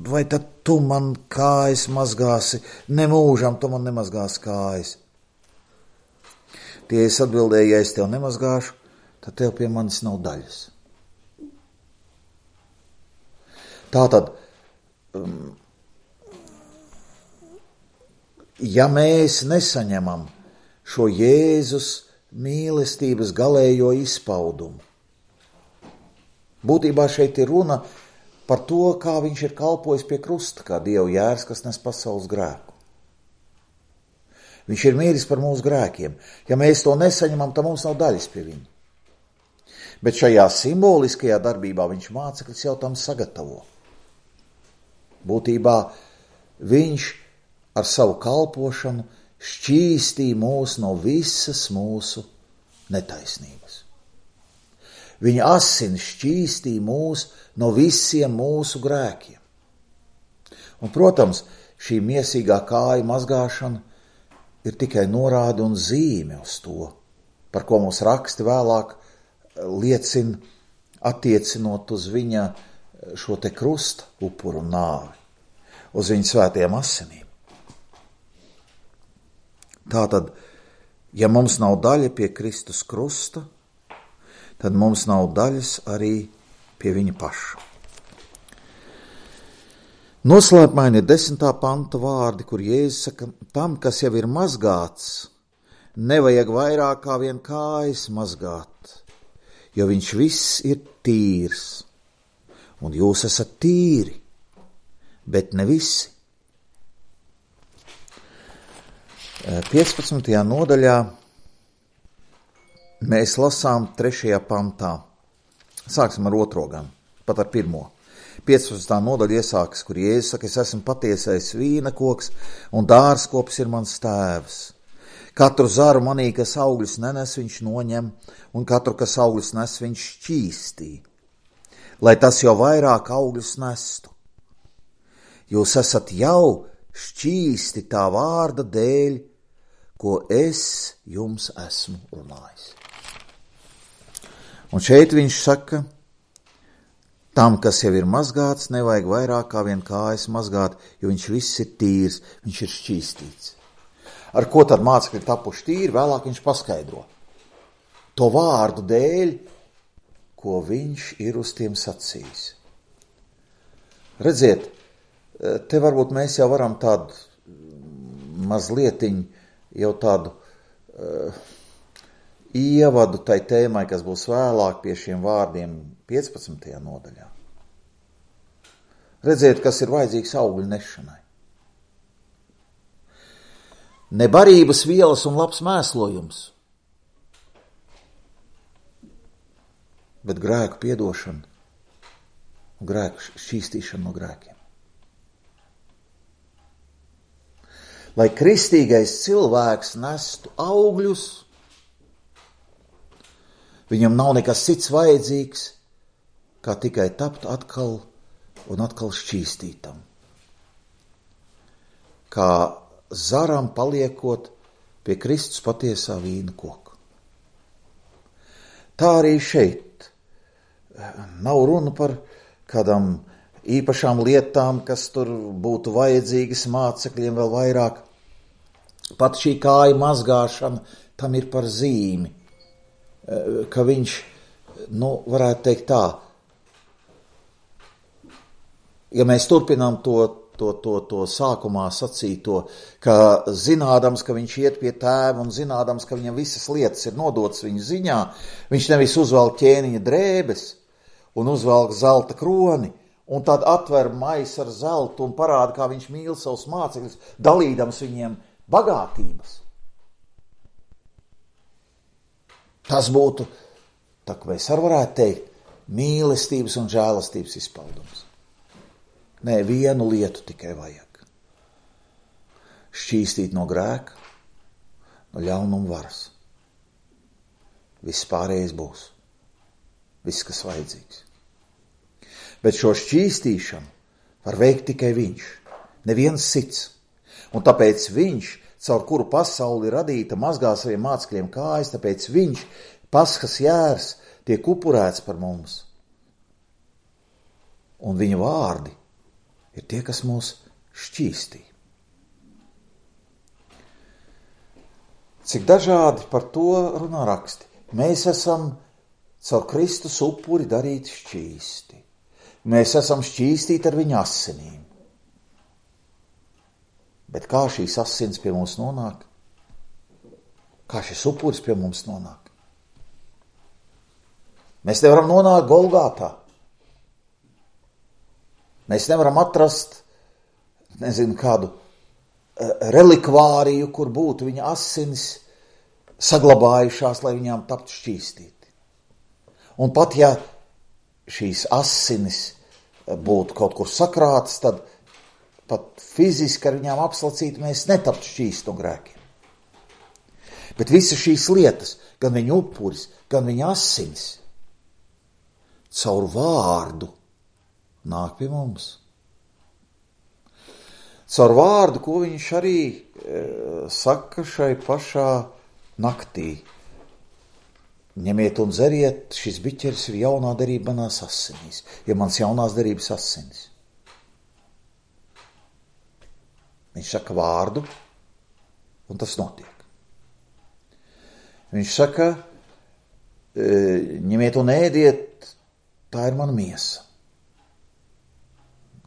vai tad tu man kājas mazgāsi, nemūžam tu man nemazgāsi kājas. Tie es atbildēju, ja es tev nemazgāšu, tad tev pie manis nav daļas. Tātad, ja mēs nesaņemam šo Jēzus mīlestības galējo izpaudumu, būtībā šeit ir runa par to, kā viņš ir kalpojis pie krusta, kā Dieva jērs, kas nes pasaules grēku. Viņš ir mīris par mūsu grēkiem. Ja mēs to nesaņemam, tad mums nav daļas pie viņa. Bet šajā simboliskajā darbībā viņš mācekļus jau tam sagatavo. Būtībā viņš ar savu kalpošanu šķīstīja mūs no visas mūsu netaisnības. Viņa asins šķīstīja mūs no visiem mūsu grēkiem. Un, protams, šī miesīgā kāju mazgāšana ir tikai norāde un zīme uz to, par ko mums raksti vēlāk liecina, attiecinot uz viņa šo te krusta upuru un nāvi, uz viņa svētajām asinīm. Tātad, ja mums nav daļa pie Kristus krusta, tad mums nav daļas arī pie viņa paša. Noslēpmaini ir 10. panta vārdi, kur Jēzus saka, tam, kas jau ir mazgāts, nevajag vairāk kā vien kājas mazgāt, jo viņš viss ir tīrs, un jūs esat tīri, bet ne visi. 15. nodaļā mēs lasām 3. pantā. Sāksim ar 2. gan, pat ar 1. 15. nodaļa iesākas, kur Jēzus saka, es esmu patiesais vīna koks, un dārzkops ir mans tēvs. Katru zaru manī, kas augļus nenes, viņš noņem, un katru, kas augļus nes, viņš šķīstī, lai tas jau vairāk augļus nestu. Jūs esat jau šķīsti tā vārda dēļ, ko es jums esmu runājis. Un šeit viņš saka, tam, kas jau ir mazgāts, nevajag vairāk kā vien kājas mazgāt, jo viņš viss ir tīrs, viņš ir šķīstīts. Ar ko tad mācekļi ir tapuši tīri, vēlāk viņš paskaidro. To vārdu dēļ, ko viņš ir uz tiem sacījis. Redziet, te varbūt mēs jau varam tādu mazlietiņu, jau tādu ievadu tai tēmai, kas būs vēlāk pie šiem vārdiem 15. nodaļā. Redziet, kas ir vajadzīgs augļu nešanai. Ne barības vielas un labs mēslojums, bet grēku piedošana un grēku šķīstīšana no grēkiem. Lai kristīgais cilvēks nestu augļus, viņam nav nekas cits vajadzīgs, kā tikai tapt atkal un atkal šķīstītam. Kā zaram paliekot pie Kristus patiesā vīna koka. Tā arī šeit nav runa par kādām īpašām lietām, kas tur būtu vajadzīgas mācekļiem vēl vairāk. Pat šī kāja mazgāšana tam ir par zīmi, ka viņš, varētu teikt tā, ja mēs turpinām to sākumā sacīto, ka zinādams, ka viņš iet pie tēva un zinādams, ka viņam visas lietas ir nodotas viņa ziņā, viņš nevis uzvelk ķēniņa drēbes un uzvelk zelta kroni, un tad atver maisu ar zeltu un parāda, kā viņš mīl savus mācekļus, dalīdams viņiem bagātības. Tas būtu, tā kā mēs varētu teikt, mīlestības un žēlastības izpaudums. Nē, vienu lietu tikai vajag. šķīstīt no grēka, no ļaunuma varas. Viss pārējais būs. Viss, kas vajadzīgs. Bet šo šķīstīšanu var veikt tikai viņš, neviens cits. Un tāpēc viņš, caur kuru pasauli radīta, mazgā saviem mācekļiem kājas, tāpēc viņš, Paskas jērs, tiek upurēts par mums. Un viņa vārdi ir tie, kas mūs šķīstī. Cik dažādi par to runā raksti. Mēs esam caur Kristus upuri darīti šķīsti. Mēs esam šķīstīti ar viņa asinīm. Bet kā šīs asins pie mums nonāk? Kā šis upuris pie mums nonāk? Mēs nevaram nonākt Golgātā. Mēs nevaram atrast, kādu relikvāriju, kur būtu viņa asinis saglabājušās, lai viņām taptu šķīstīti. Un pat ja šīs asinis būtu kaut kur sakrātas, tad pat fiziski ar viņām apslacīt mēs netaptu šķīsti no grēkiem. Bet visas šīs lietas, gan viņa upuris, gan viņa asinis, caur vārdu nāk pie mums. Caur vārdu, ko viņš arī saka šai pašā naktī. Ņemiet un dzeriet, šis biķeris ir jaunā derība manās asinīs, ja mans jaunās derības asinis. Viņš saka vārdu, un tas notiek. Viņš saka, ņemiet un ēdiet, tā ir mana miesa.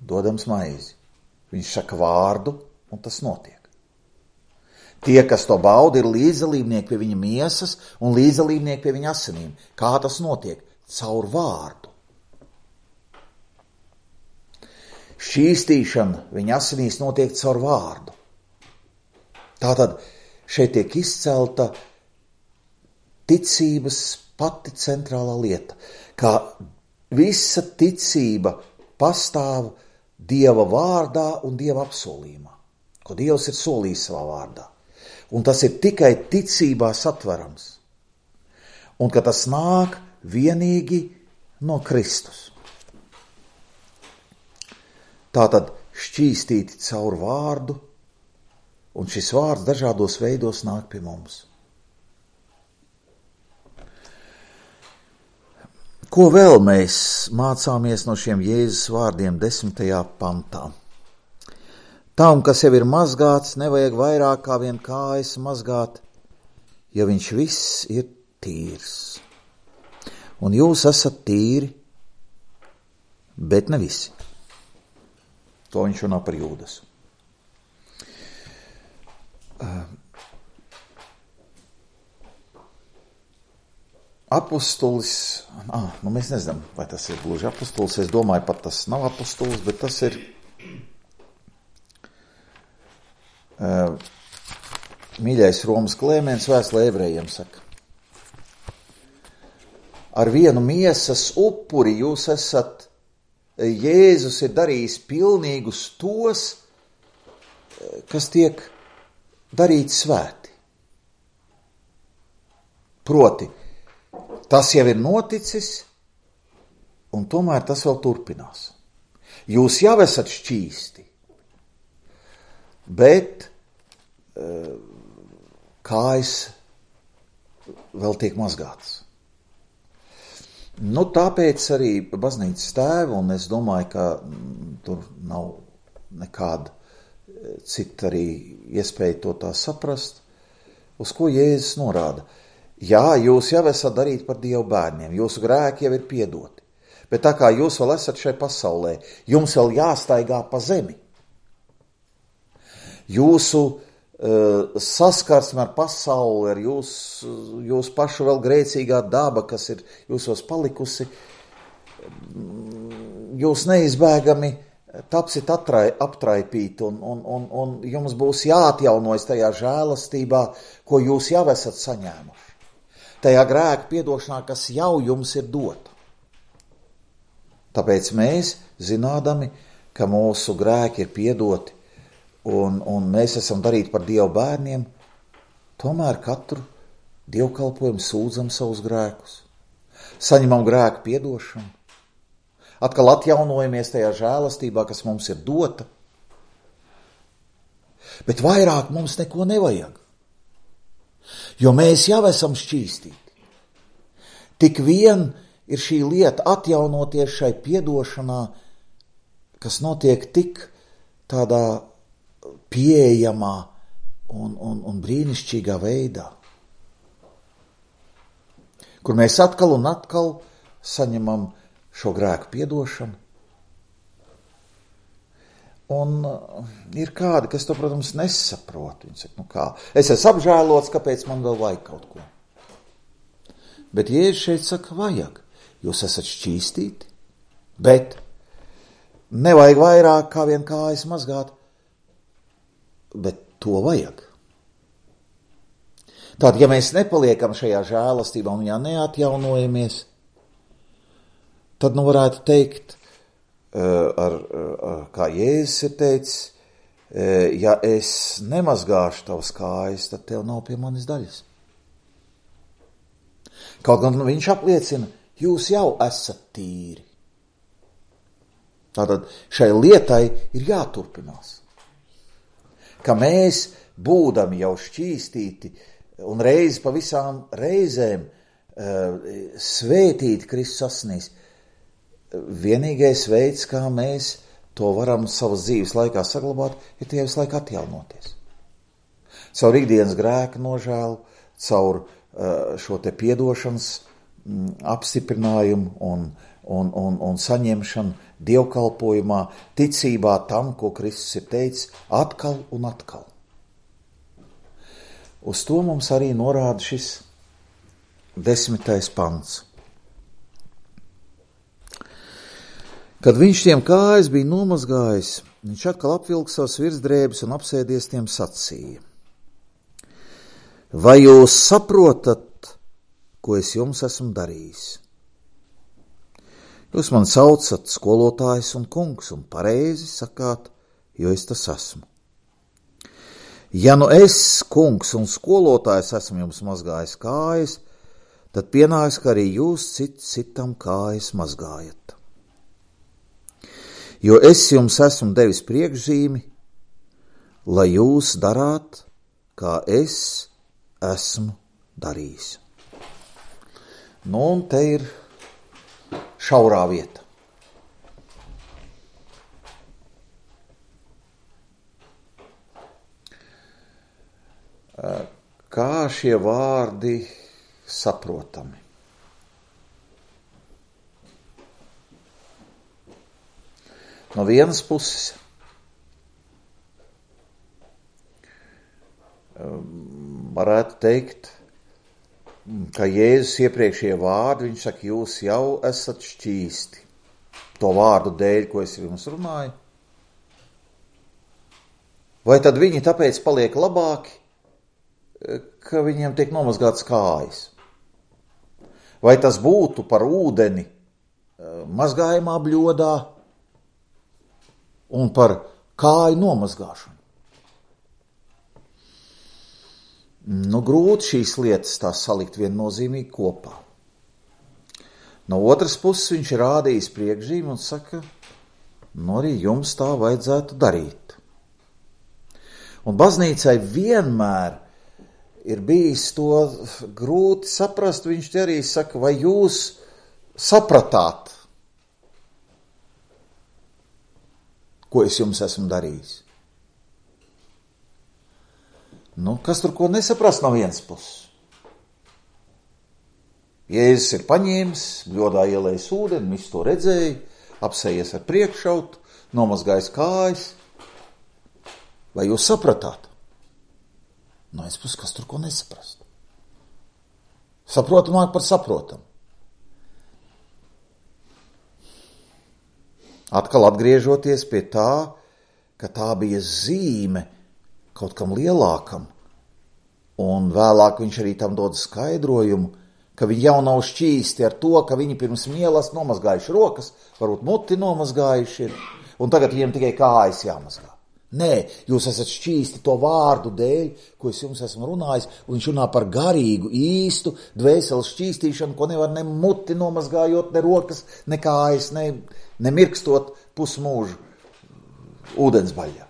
Dodams maizi. Viņš saka vārdu, un tas notiek. Tie, kas to bauda, ir līdzdalībnieki pie viņa miesas un līdzdalībnieki pie viņa asinīm. Kā tas notiek? Caur vārdu. Šķīstīšana viņa asinīs notiek caur vārdu. Tātad šeit tiek izcelta ticības pati centrālā lieta, kā visa ticība pastāv Dieva vārdā un Dieva apsolījumā, ko Dievs ir solījis savā vārdā. Un tas ir tikai ticībā satverams. Un ka tas nāk vienīgi no Kristus. Tātad šķīstīti caur vārdu, un šis vārds dažādos veidos nāk pie mums. Ko vēl mēs mācāmies no šiem Jēzus vārdiem 10. pantā? Tam, kas jau ir mazgāts, nevajag vairāk kā vien kājas mazgāt, ja viņš viss ir tīrs. Un jūs esat tīri, bet ne visi. To viņš runā par Jūdas. Apostolis, mēs nezinām, vai tas ir gluži apostolis, es domāju, pat tas nav apostolis, bet tas ir mīļais Romas Klēmens vēstulē Ebrejiem saka. Ar vienu miesas upuri jūs esat, Jēzus ir darījis pilnīgus tos, kas tiek darīti svēti. Proti, tas jau ir noticis, un tomēr tas vēl turpinās. Jūs jau esat šķīsti, bet kājas vēl tiek mazgātas. Tāpēc arī baznīcas tēvi, un es domāju, ka tur nav nekāda cita arī iespēja to tā saprast, uz ko Jēzus norāda. Jā, jūs jau esat darīti par Dievu bērniem, jūsu grēki jau ir piedoti, bet tā kā jūs vēl esat šai pasaulē, jums vēl jāstaigā pa zemi. Jūsu saskarsme ar pasauli, ar jūsu pašu vēl grēcīgā daba, kas ir jūsos palikusi, jūs neizbēgami tapsit aptraipīti un jums būs jāatjaunojas tajā žēlastībā, ko jūs jau esat saņēmuši. Tajā grēka piedošanā, kas jau jums ir dota. Tāpēc mēs, zinādami, ka mūsu grēki ir piedoti un mēs esam darīti par Dieva bērniem, tomēr katru dievkalpojumu sūdzam savus grēkus, saņemam grēku piedošanu, atkal atjaunojamies tajā žēlastībā, kas mums ir dota, bet vairāk mums neko nevajag, jo mēs jau esam šķīstīti. Tik vien ir šī lieta atjaunoties šai piedošanā, kas notiek tik tādā pieejamā un brīnišķīgā veidā, kur mēs atkal un atkal saņemam šo grēku piedošanu. Un ir kādi, kas to, protams, nesaprot. Viņi saka, kā, es esmu apžēlots, kāpēc man vēl vajag kaut ko. Bet Jēzus šeit saka, vajag. Jūs esat šķīstīti, bet nevajag vairāk kā vien kājas mazgāt, bet to vajag. Tātad, ja mēs nepaliekam šajā žēlastībā un ja neatjaunojamies, tad varētu teikt, kā Jēzus ir teicis, ja es nemazgāšu tavas kājas, tad tev nav pie manis daļas. Kaut gan viņš apliecina, jūs jau esat tīri. Tātad šai lietai ir jāturpinās. Ka mēs, būdami jau šķīstīti un reizi pa visām reizēm svētīti Kristus asinīs, vienīgais veids, kā mēs to varam savas dzīves laikā saglabāt, ir tie visu laiku atjaunoties. Caur ikdienas grēka nožēlu, caur šo te piedošanas apstiprinājumu un saņemšanu dievkalpojumā, ticībā tam, ko Kristus ir teicis, atkal un atkal. Uz to mums arī norāda šis 10. pants. Kad viņš tiem kājas bija nomazgājis, viņš atkal apvilka savas virsdrēbes un apsēdies tiem sacīja. Vai jūs saprotat, ko es jums esmu darījis? Jūs man saucat skolotājs un kungs un pareizi sakāt, jo es tas esmu. Ja nu es, kungs un skolotājs, esmu jums mazgājis kājas, tad pienāks, ka arī jūs citam kājas mazgājat. Jo es jums esmu devis priekšzīmi, lai jūs darāt, kā es esmu darījis. Nu, un te ir šaurā vieta. Kā šie vārdi saprotami? No vienas puses varētu teikt, ka Jēzus iepriekšējie vārdi, viņš saka, jūs jau esat šķīsti. To vārdu dēļ, ko es jums runāju. Vai tad viņi tāpēc paliek labāki, ka viņiem tiek nomazgāts kājas? Vai tas būtu par ūdeni mazgājumā bļodā un par kāju nomazgāšanu? Nu, grūti šīs lietas tā salikt viennozīmīgi kopā. No otras puses viņš ir rādījis priekšzīmi un saka, nu arī jums tā vajadzētu darīt. Un baznīcai vienmēr ir bijis to grūti saprast, viņš te arī saka, vai jūs sapratāt, ko es jums esmu darījis. Nu, kas tur ko nesaprast no vienas puses? Jēzus ir paņēmis, bļodā ielējis ūdeni, visu to redzēja, apsējies ar priekšautu, nomazgājis kājas. Vai jūs sapratāt? No vienas puses, kas tur ko nesaprast? Saprotamāk par saprotam. Atkal atgriežoties pie tā, ka tā bija zīme kaut kam lielākam, un vēlāk viņš arī tam dod skaidrojumu, ka viņi jau nav šķīsti ar to, ka viņi pirms mielas nomazgājuši rokas, varbūt muti nomazgājuši ir, un tagad viņiem tikai kājas jāmazgā. Nē, jūs esat šķīsti to vārdu dēļ, ko es jums esmu runājis, un viņš runā par garīgu, īstu dvēseles šķīstīšanu, ko nevar ne muti nomazgājot, ne rokas, ne kājas, ne mirkstot pusmūžu ūdensbaļā.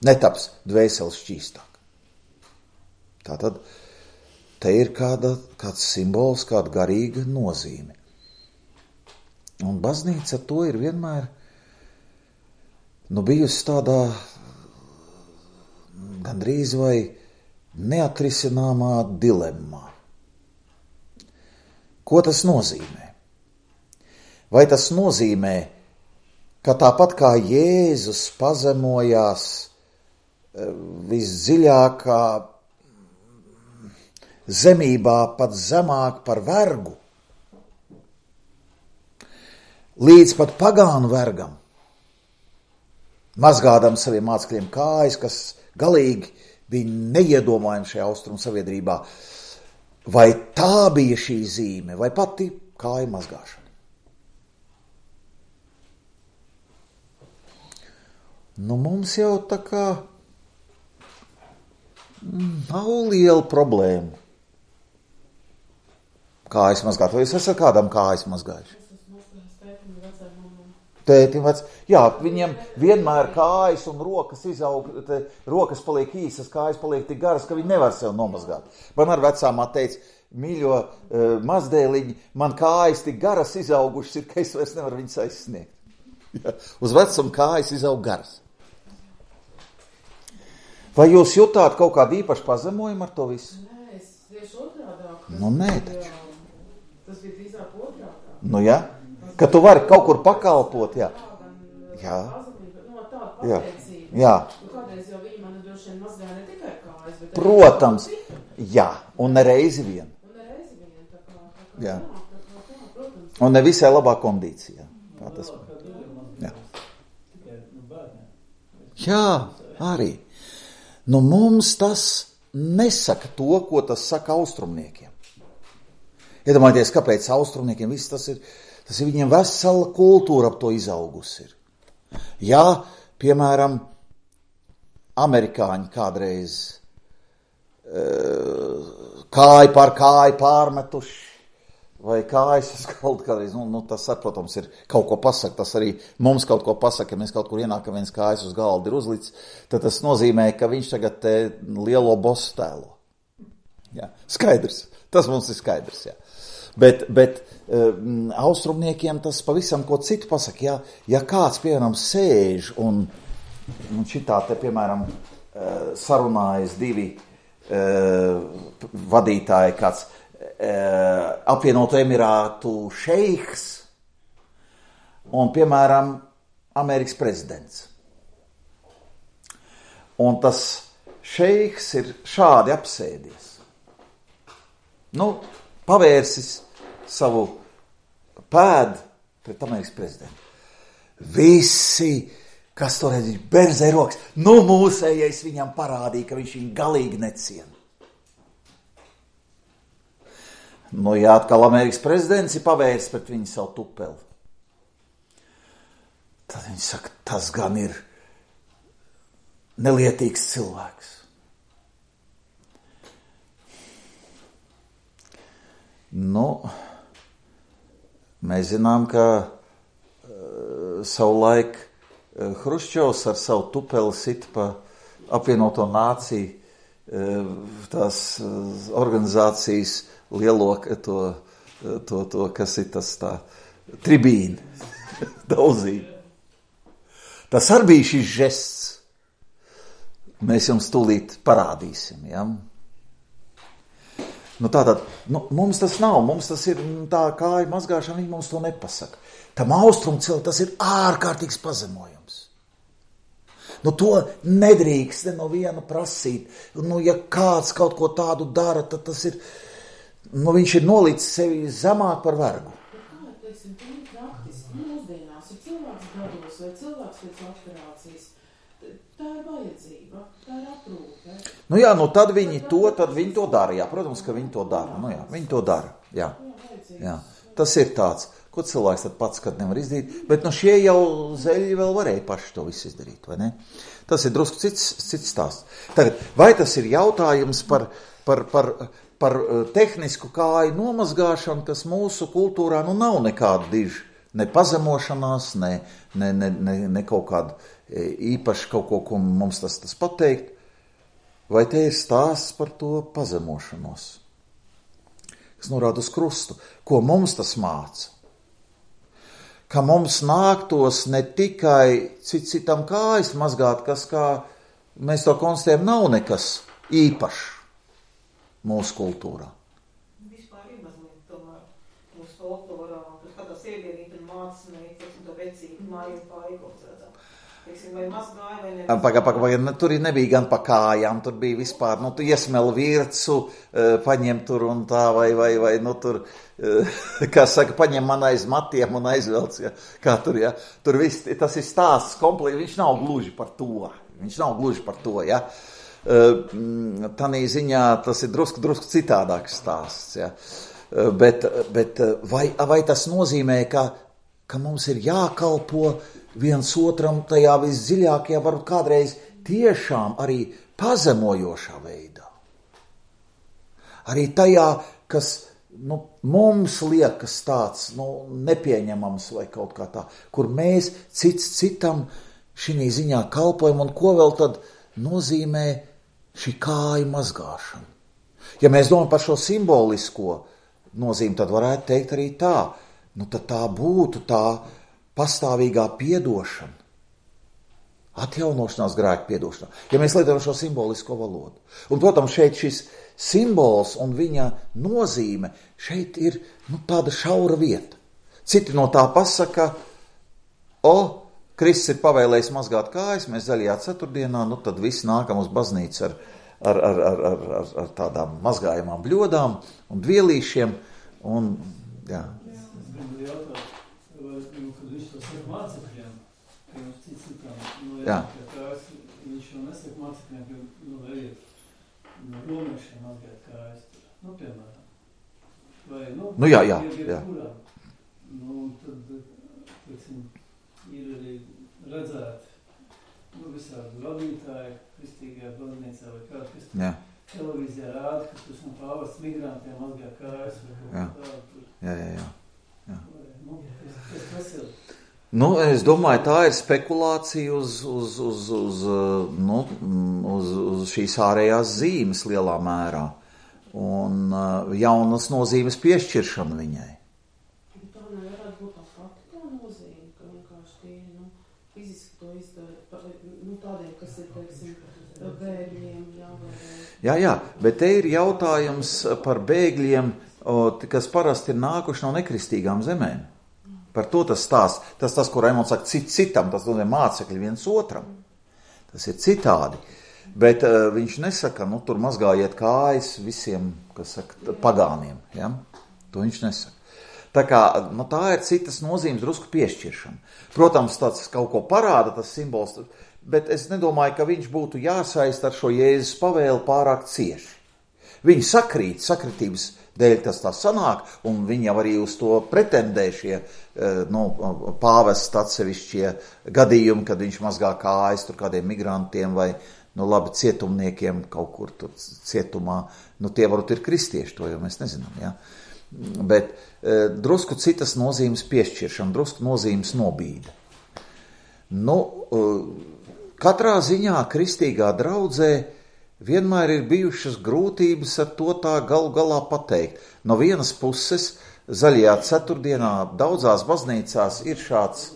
Netaps dvēseles šķīstāk. Tātad te ir kāds simbols, kāda garīga nozīme. Un baznīca to ir vienmēr bijusi tādā gandrīz vai neatrisināmā dilemmā. Ko tas nozīmē? Vai tas nozīmē, ka tāpat kā Jēzus pazemojās visdziļākā zemībā, pat zemāk par vergu, līdz pat pagānu vergam, mazgādam saviem mācekļiem kājas, kas galīgi bija neiedomājami šajā austrumu sabiedrībā. Vai tā bija šī zīme, vai pati kāju mazgāšana? Mums jau tā kā nav liela problēma. Kājas mazgāt, vai jūs esat kādam kājas mazgājuši? Tētim vec, jā, viņiem vienmēr kājas un rokas izaug, rokas paliek īsas, kājas paliek tik garas, ka viņi nevar sev nomazgāt. Man ar vecām teica, mīļo mazdēliņi, man kājas tik garas izaugušas ir, ka es vairs nevaru viņas aizsniegt. Ja, uz vecumu kājas izaug garas. Vai jūs jutāt kaut kādu īpašu pazemojumu ar to visu? Nē, es tieši otrādāk. Nē, taču. Tas bija drīzāk otrādāk. Jā? Ka tu vari kaut kur pakalpot, jā. Jā. Jā. Jā. Kādreiz jau viņi man droši vien mazgāja ne tikai kājas, bet... Protams, jā, un ne reizi vien. Tā kā jā. Protams. Un ne visai labā kondīcijā. Kā tas? Jā. Jā, arī. Mums tas nesaka to, ko tas saka austrumniekiem. Iedomājieties, kāpēc austrumniekiem viss tas ir viņiem vesela kultūra ap to izaugusi ir. Jā, piemēram, amerikāņi kādreiz kāju par kāju pārmetuši, vai kājas uz galdu kādreiz, tas, protams, ir kaut ko pasaka, tas arī mums kaut ko pasaka, ja mēs kaut kur ienākam, viens kājas uz galdu ir uzlicis, tad tas nozīmē, ka viņš tagad te lielo bosu tēlo. Jā, skaidrs, tas mums ir skaidrs, jā. Bet austrumniekiem tas pavisam ko citu pasaka. Ja kāds, piemēram, sēž un šitā te, piemēram, sarunājas divi vadītāji, kāds apvienoto Emirātu šeiks un, piemēram, Amerikas prezidents. Un tas šeiks ir šādi apsēdies. Pavērsis savu pēdu pret Amerikas prezidentu. Visi, kas to redz, berzē rokas, mūsējais viņam parādīja, ka viņš viņu galīgi neciena. Ja atkal Amerikas prezidents ir pavērsis pret viņu savu tupeli, tad viņi saka, tas gan ir nelietīgs cilvēks. Mēs zinām, ka savulaik Hruščovs ar savu tupeli sit pa apvienoto nāciju tās organizācijas lielo to kas ir tas tā tribīna daudzība. Tas arī bija šis žests. Mēs jums tūlīt parādīsim, ja? Tātad, mums tas nav, mums tas ir tā kāja mazgāšana, viņi mums to nepasaka. Tam austrumu cilvēku tas ir ārkārtīgs pazemojums. To nedrīkst no viena prasīt. Ja kāds kaut ko tādu dara, tad tas ir, viņš ir nolicis sevi zemāk par vergu. Kā, teiksim, praktiski, mūsdienās ir cilvēks gados vai cilvēks pēc operācijas. Tā ir vajadzība, tā ir aprūpe. Tad viņi to dara, jā, protams, ka viņi to dara, viņi to dara, jā. Tas ir tāds, Ko cilvēks tad pats, kad nevar izdarīt? Bet no šie jau zeļi vēl varēja paši to visu izdarīt, vai ne? Tas ir drusku cits stāsts. Tagad, vai tas ir jautājums par tehnisku kāju nomazgāšanu, kas mūsu kultūrā nav nekāda diža, ne pazemošanās, ne kaut kāda īpaši kaut ko mums tas pateikt, vai te ir stāsts par to pazemošanos, kas norāda uz krustu, ko mums tas māca. Ka mums nāktos ne tikai citam kājas mazgāt, kas, kā mēs to konstatējam, nav nekas īpašs mūsu kultūrā. Vispār ir mazliet tomēr mūsu folklorā, kad kādā sievienīte un mācas meitas un to vecību mājas pārīkots redzam. Teiksim, vai mazgāja, vai nevis. Paga, tur nebija gan pa kājām, tur bija vispār, tu iesmel vircu, paņem tur un tā, vai tur, kā saka, paņem man aiz matiem un aizvelc, ja, kā tur, ja. Tur viss, tas ir stāsts kompleksi, viņš nav gluži par to, ja. Tanī ziņā tas ir drusku citādāks stāsts, ja. Bet vai tas nozīmē, ka mums ir jākalpo viens otram tajā visdziļākajā, varbūt kādreiz tiešām arī pazemojošā veidā. Arī tajā, kas mums liekas tāds nepieņemams vai kaut kā tā, kur mēs citam šī ziņā kalpojam un ko vēl tad nozīmē šī kāju mazgāšana. Ja mēs domājam par šo simbolisko nozīmi, tad varētu teikt arī tā, tad tā būtu tā pastāvīgā piedošana, atjaunošanās grēka piedošana, ja mēs lietojam šo simbolisko valodu. Un, protams, šeit šis simbols un viņa nozīme šeit ir tāda šaura vieta. Citi no tā pasaka, Kristus ir pavēlējis mazgāt kājas, mēs zaļajā ceturtdienā, tad visi nākam uz baznīcu ar tādām mazgājumām bļodām un dvielīšiem. Un, jā. Kad viņš to saka mācekļiem, ka viņš citām, viņš jau nesaka mācekļiem, ka ejiet no romiešiem mazgāt kājas, piemēram. Vai, jā. Kurām. Tad, teiksim, ir arī redzēti, visādi vadītāji, kristīgajā baznīcā vai kāda kristīgā televīzijā rāda, ka tas nav pāvests migrantiem mazgā kājas vai kaut kā tādu. Jā. Kas ir? Es domāju, tā ir spekulācija uz šīs ārējās zīmes lielā mērā un jaunas nozīmes piešķiršana viņai. Tā nevarētu būt tā faktiskā nozīme, ka vienkārši tie fiziski to izdara, tādiem, kas ir, teiksim, bēgļiem, Jā, bet te ir jautājums par bēgļiem, kas parasti ir nākuši no nekristīgām zemēm. Par to tas stāsts. Tas, ko Raimonds saka, citam, tas nozīmē mācekļi viens otram. Tas ir citādi. Bet viņš nesaka, tur mazgājiet kājas visiem, kas saka, pagāniem. Ja? To viņš nesaka. Tā kā, tā ir citas nozīmes drusku piešķiršana. Protams, tāds kaut ko parāda, tas simbols, bet es nedomāju, ka viņš būtu jāsaist ar šo Jēzus pavēli pārāk cieši. Viņi sakritības dēļ tas tā sanāk, un viņi jau arī uz to pretendē šie pāvesta atsevišķie gadījumi, kad viņš mazgā kājas tur kādiem migrantiem vai, cietumniekiem kaut kur tur cietumā. Tie varbūt ir kristieši, to jau mēs nezinām, ja? Bet drusku citas nozīmes piešķiršana, drusku nozīmes nobīde. Katrā ziņā kristīgā draudzē vienmēr ir bijušas grūtības ar to tā galu galā pateikt. No vienas puses, zaļajā ceturtdienā daudzās baznīcās ir šāds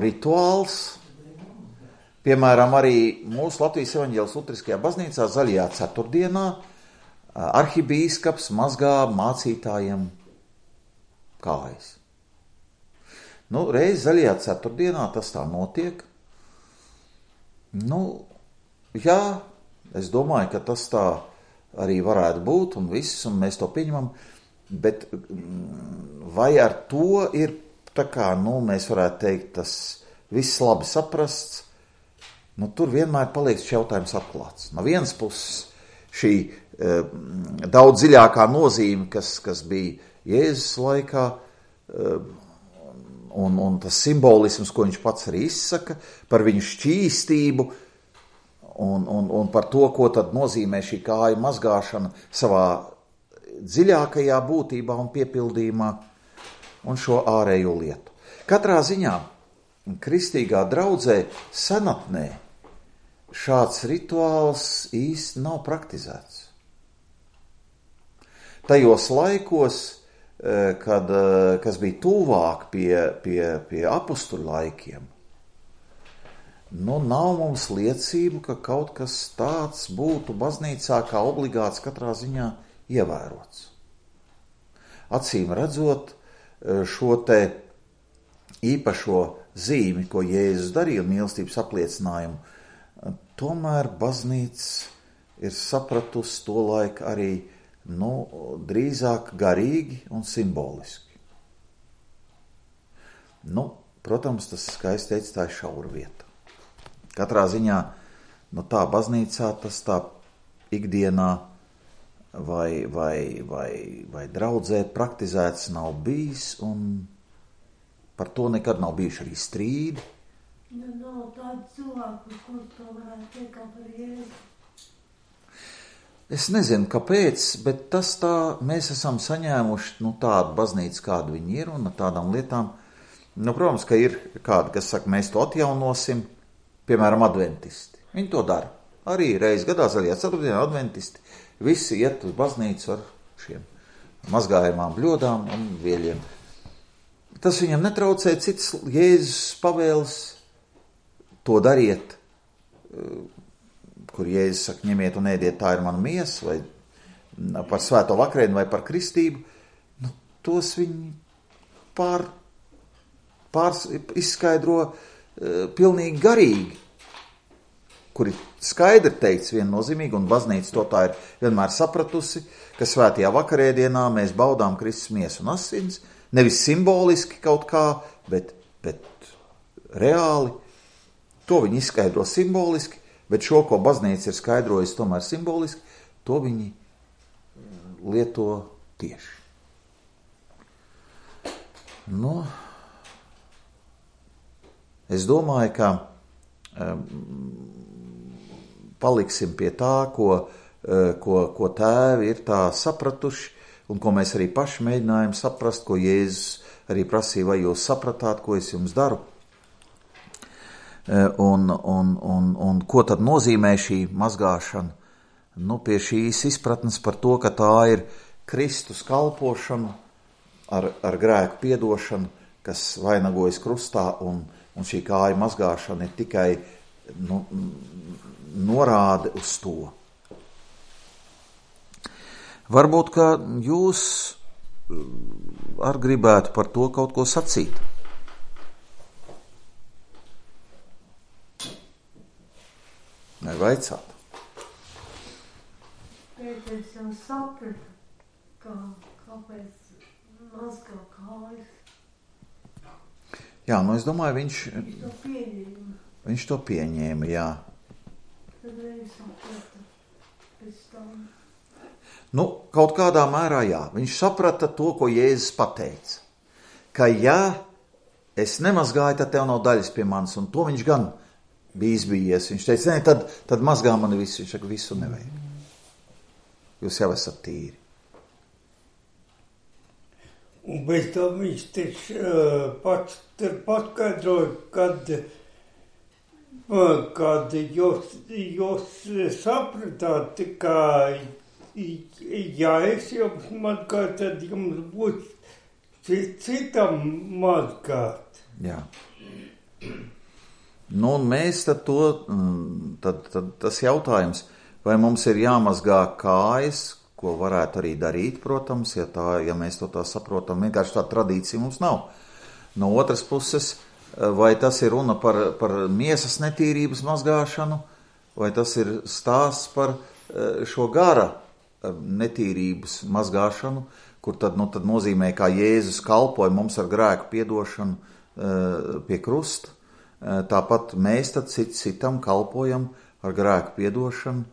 rituāls. Piemēram, arī mūsu Latvijas evaņģēlas luteriskajā baznīcā zaļajā ceturtdienā arhibīskaps mazgā mācītājiem kājas. Reiz zaļajā ceturtdienā tas tā notiek. Jā, es domāju, ka tas tā arī varētu būt un viss, un mēs to pieņemam, bet vai ar to ir tā kā, mēs varētu teikt, tas viss labi saprasts, tur vienmēr paliek šis jautājums atklāts. No vienas puses šī daudz dziļākā nozīme, kas bija Jēzus laikā, un tas simbolisms, ko viņš pats arī izsaka, par viņu šķīstību, un par to, ko tad nozīmē šī kāju mazgāšana savā dziļākajā būtībā un piepildījumā, un šo ārējo lietu. Katrā ziņā kristīgā draudzē senatnē šāds rituāls īsti nav praktizēts. Tajos laikos, kas bija tuvāk pie apustuļu laikiem, nav mums liecību, ka kaut kas tāds būtu baznīcā kā obligāts katrā ziņā ievērots. Acīm redzot šo te īpašo zīmi, ko Jēzus darīja un mīlestības apliecinājumu, tomēr baznīca ir sapratusi to laiku arī drīzāk garīgi un simboliski. Protams, tas skaisti teica, tā ir šaura vieta. Katrā ziņā, tā baznīcā tas tā ikdienā vai draudzē praktizēts nav bijis, un par to nekad nav bijuši arī strīdi. Nav tādu cilvēku, kur to varētu teikt kā par Jēzu. Es nezinu, kāpēc, bet tas tā, mēs esam saņēmuši tādu baznīcu, kāda viņi ir, un ar tādām lietām. Protams, ka ir kādi, kas saka, mēs to atjaunosim, piemēram, adventisti. Viņi to dara. Arī reiz gadā zaļajā ceturtdienā adventisti visi iet uz baznīcu ar šiem mazgājumām bļodām un vieļiem. Tas viņam netraucē, cits Jēzus pavēles to dariet, kur Jēzus saka, ņemiet un ēdiet, tā ir mana miesa, vai par svēto vakarienu, vai par kristību, tos viņi izskaidro pilnīgi garīgi, kuri skaidri teikts viennozīmīgi, un baznīca to tā ir vienmēr sapratusi, ka svētajā vakarēdienā mēs baudām Kristus miesu un asins, nevis simboliski kaut kā, bet reāli. To viņi izskaidro simboliski, bet šo, ko baznīca ir skaidrojusi tomēr simboliski, to viņi lieto tieši. Es domāju, ka paliksim pie tā, ko tēvi ir tā sapratuši, un ko mēs arī paši mēģinājām saprast, ko Jēzus arī prasīja, vai jūs sapratāt, ko es jums daru. Un ko tad nozīmē šī mazgāšana? Pie šīs izpratnes par to, ka tā ir Kristus kalpošana ar grēku piedošanu, kas vainagojas krustā, un šī kāja mazgāšana ir tikai norāde uz to. Varbūt, ka jūs gribētu par to kaut ko sacīt. Vai vaicāt? Es jau sapratu, kāpēc mazgā kājas. Jā, es domāju, viņš to pieņēma, jā. Tad arī sapratu pēc tam. Kaut kādā mērā jā. Viņš saprata to, ko Jēzus pateica. Ka ja es nemazgāju, tad tev nav daļas pie manis, un to viņš gan bija izbijies. Viņš teica, tad mazgā mani visu. Viņš saka, visu nevajag. Jūs jau esat tīri. Un bez tam viņš pats paskaidroja, kad jūs sapratāt, ka ja es jums mazgāju, tad jums būs citam mazgāt. Jā. Un mēs tad tas jautājums, vai mums ir jāmazgā kājas, ko varētu arī darīt, protams, ja mēs to tā saprotam, vienkārši tā tradīcija mums nav. No otras puses, vai tas ir runa par miesas netīrības mazgāšanu, vai tas ir stāsts par šo gara netīrības mazgāšanu, kur tad nozīmē, kā Jēzus kalpoja mums ar grēku piedošanu pie krusta. Tāpat mēs tad citam kalpojam ar grēku piedošanu,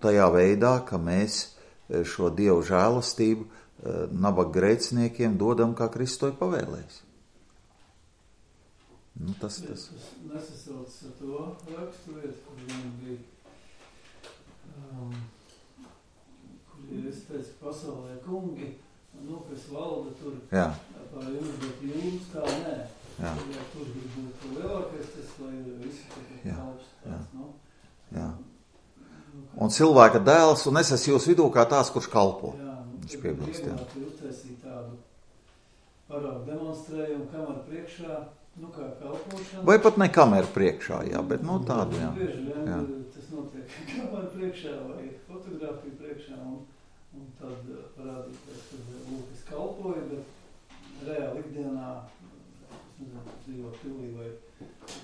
tajā veidā, ka mēs šo Dievu žēlastību nabaga grēciniekiem dodam, kā Kristus to ir pavēlējis. Nu, tas. Tas nesasaucas ar to rakstu vietu, kur viņam bija, kur es teicu, pasaulē kungi, kas valda tur par jums, bet jums kā nē. Ja tur grib būt lielākais, tas lai visi tur kalps tāds, nu. Jā. Un cilvēka dēls, un es esmu jūs vidū kā tās, kurš kalpo. Viņš piebilst, jā. Uztaisīt tādu paraugu demonstrējumu, kameru priekšā, kā kalpošana. Vai pat ne kameru priekšā, jā, bet tādu, jā. Bieži vien tas notiek kameru priekšā vai fotogrāfiju priekšā, un tad parādīties, kad es kalpoju, bet reāli ikdienā, es nezinu, dzīvo pilī vai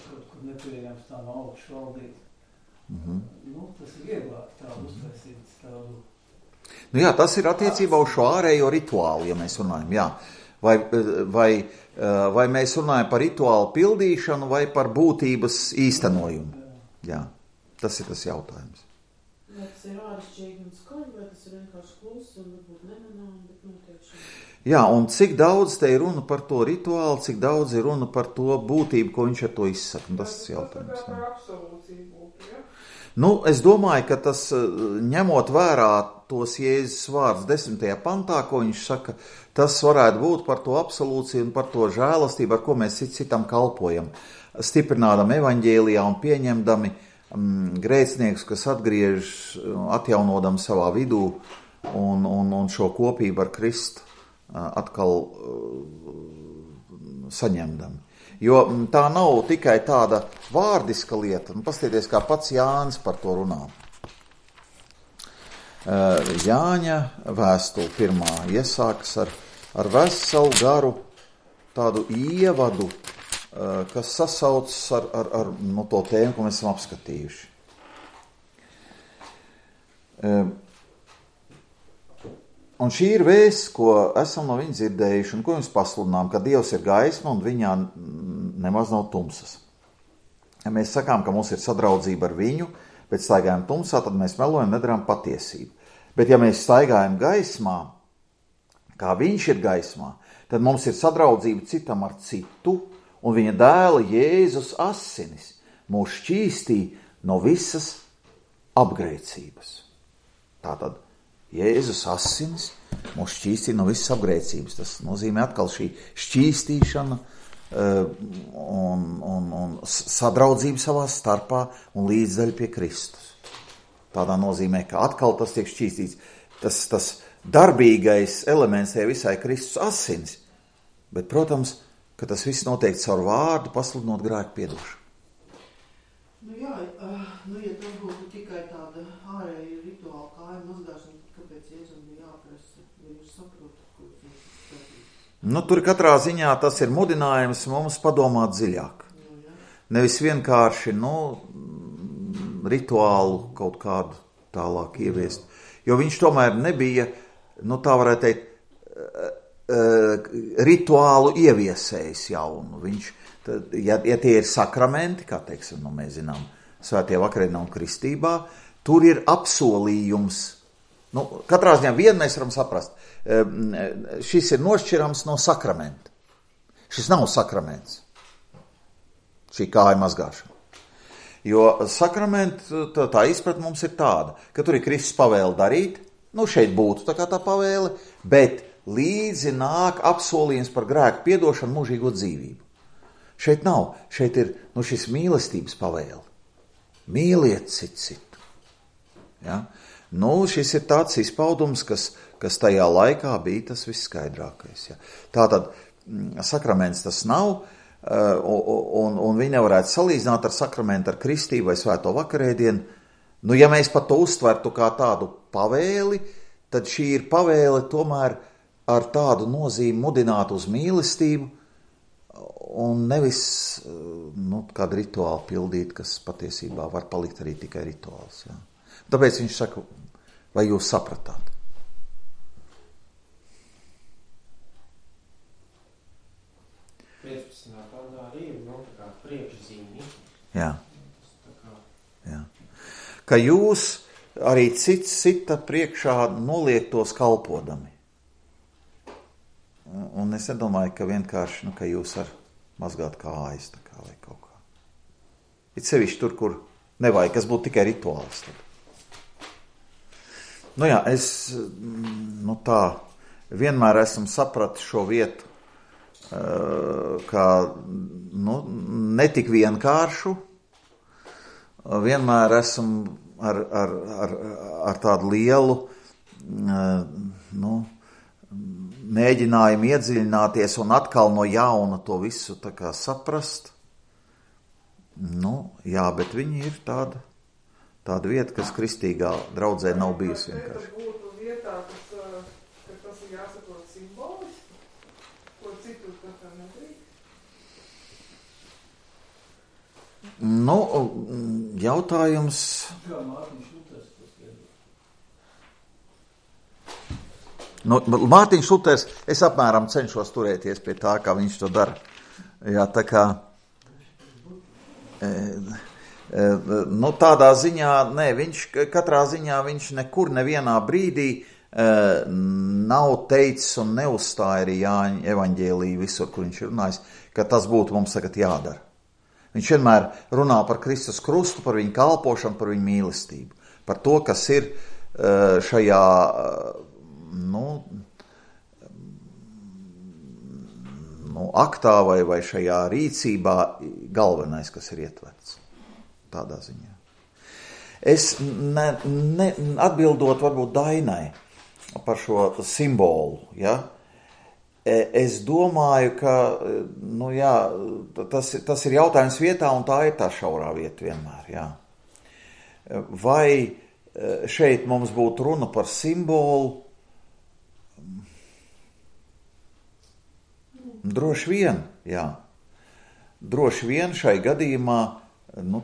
kaut kur nepieejams tā no augšu valdīt. Tas ir vieglāk tādu uztaisīt tādu. Jā, tas ir attiecībā uz šo ārējo rituālu, ja mēs runājam, jā. Vai mēs runājam par rituālu pildīšanu vai par būtības īstenojumu? Jā, tas ir tas jautājums. Vai tas ir āršķirīgi un skaļi, vai tas ir vienkārši klusi un varbūt nemanām, bet notiekšana? Jā, un cik daudz te ir runa par to rituālu, cik daudz ir runa par to būtību, ko viņš ar to izsaka. Tas ir jautājums. Tas par absolūciju būtu, ja? Es domāju, ka tas, ņemot vērā tos Jēzus vārdus 10. pantā, ko viņš saka, tas varētu būt par to absolūciju un par to žēlastību, ar ko mēs citam kalpojam, stiprinādam evaņģēlijā un pieņemdami grēcinieks, kas atgriež, atjaunodam savā vidū un šo kopību ar Kristu atkal saņemdam. Jo tā nav tikai tāda vārdiska lieta. Pastieties, kā pats Jānis par to runā. Jāņa vēstule 1. iesākas ar veselu garu tādu ievadu, kas sasaucas ar to tēmu, ko mēs esam apskatījuši. Un šī ir vēsts, ko esam no viņa dzirdējuši, un ko jums pasludinām, ka Dievs ir gaisma un viņā nemaz nav tumsas. Ja mēs sakām, ka mums ir sadraudzība ar viņu, bet staigājam tumsā, tad mēs melojam, nedarām patiesību. Bet ja mēs staigājam gaismā, kā viņš ir gaismā, tad mums ir sadraudzība citam ar citu, un viņa dēla Jēzus asinis mūs šķīstī no visas apgrēcības. Tātad Jēzus asinis mūs šķīstī no visas apgrēcības. Tas nozīmē atkal šī šķīstīšana un sadraudzība savā starpā un līdzdaļa pie Kristus. Tādā nozīmē, ka atkal tas tiek šķīstīts. Tas darbīgais elements tie visai Kristus asinis. Bet, protams, ka tas viss notiek caur vārdu, pasludinot grēku piedošanu. Ja tas būtu tikai tāda ārēja rituāla kāja mazgāšana, kāpēc Jēzum bija jāprasa, ja jūs saprotat, ko jūs skatīt? Tur katrā ziņā tas ir mudinājums mums padomāt dziļāk. Nevis vienkārši, rituālu kaut kādu tālāk ieviest. Jo viņš tomēr nebija, tā varētu teikt, rituālu ieviesējis jaunu. Viņš, ja tie ir sakramenti, kā teiksim, mēs zinām, svētie vakarienā un kristībā, tur ir apsolījums. Katrā ziņā vienu mēs varam saprast. Šis ir nošķirams no sakramenta. Šis nav sakraments. Šī kāja mazgāšana. Jo sakramenta, tā izpratne mums ir tāda, ka tur ir Kristus pavēle darīt, šeit būtu tā kā tā pavēle, bet līdzi nāk apsolījums par grēku piedošanu, mūžīgo dzīvību. Šeit nav, šeit ir šis mīlestības pavēle. Mīliet citu. Ja? Šis ir tāds izpaudums, kas tajā laikā bija tas visskaidrākais. Ja? Tātad sakraments tas nav, un viņi nevarētu salīdzināt ar sakramentu, ar kristību vai svēto vakarēdienu. Ja mēs pat to uztvertu kā tādu pavēli, tad šī ir pavēle tomēr ar tādu nozīmi mudināt uz mīlestību un nevis kādu rituālu pildīt, kas patiesībā var palikt arī tikai rituāls. Ja. Tāpēc viņš saka, vai jūs sapratāt? Jā. Jā. Ka jūs arī cits cita priekšā noliektos kalpodami. Un es nedomāju, ka vienkārši, ka jūs var mazgāt kājas tā kā vai kaut kā. It sevišķi tur, kur nevajag, kas būtu tikai rituāls. Tad. Nu jā, es tā vienmēr esmu sapratis šo vietu, kā netik vienkāršu. Vienmēr esmu ar tādu lielu mēģinājumu iedziļināties un atkal no jauna to visu tā kā saprast. Jā, bet viņi ir tāda vieta, kas kristīgā draudzē nav bijusi vienkārši. Vai būtu vietā, ka tas ir jāsaprot simboliski, ko citur tā nedrīkst? Jautājums... Kā Mārtiņš Luters tas Mārtiņš Luters, es apmēram cenšos turēties pie tā, kā viņš to dara. Jā, tā kā... tādā ziņā, katrā ziņā viņš nekur nevienā brīdī nav teicis un neuzstāja arī Jāņa evaņģēliju visur, kur viņš ir runājis, ka tas būtu mums tagad jādara. Viņš vienmēr runā par Kristus krustu, par viņu kalpošanu, par viņu mīlestību, par to, kas ir šajā, aktā vai šajā rīcībā galvenais, kas ir ietverts. Tādā ziņā. Es atbildot varbūt Dainai par šo simbolu, ja? Es domāju, ka tas ir jautājums vietā, un tā ir tā šaurā vieta vienmēr. Jā. Vai šeit mums būtu runa par simbolu? Droši vien, jā. Droši vien šai gadījumā,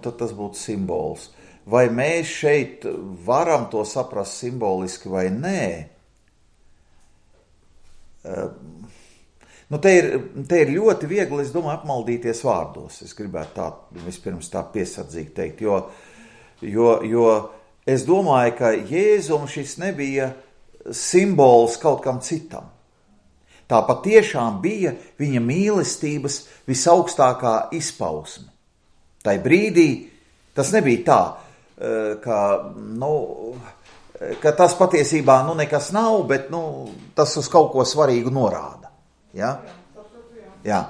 tad tas būtu simbols. Vai mēs šeit varam to saprast simboliski vai nē? Te ir ļoti viegli, es domāju, apmaldīties vārdos. Es gribētu vispirms tā piesardzīgi teikt, jo es domāju, ka Jēzum šis nebija simbols kaut kam citam. Tā patiešām bija viņa mīlestības visaugstākā izpausme. Tai brīdī tas nebija tā, ka tas patiesībā nekas nav, bet tas uz kaut ko svarīgu norāda. Ja? Jā.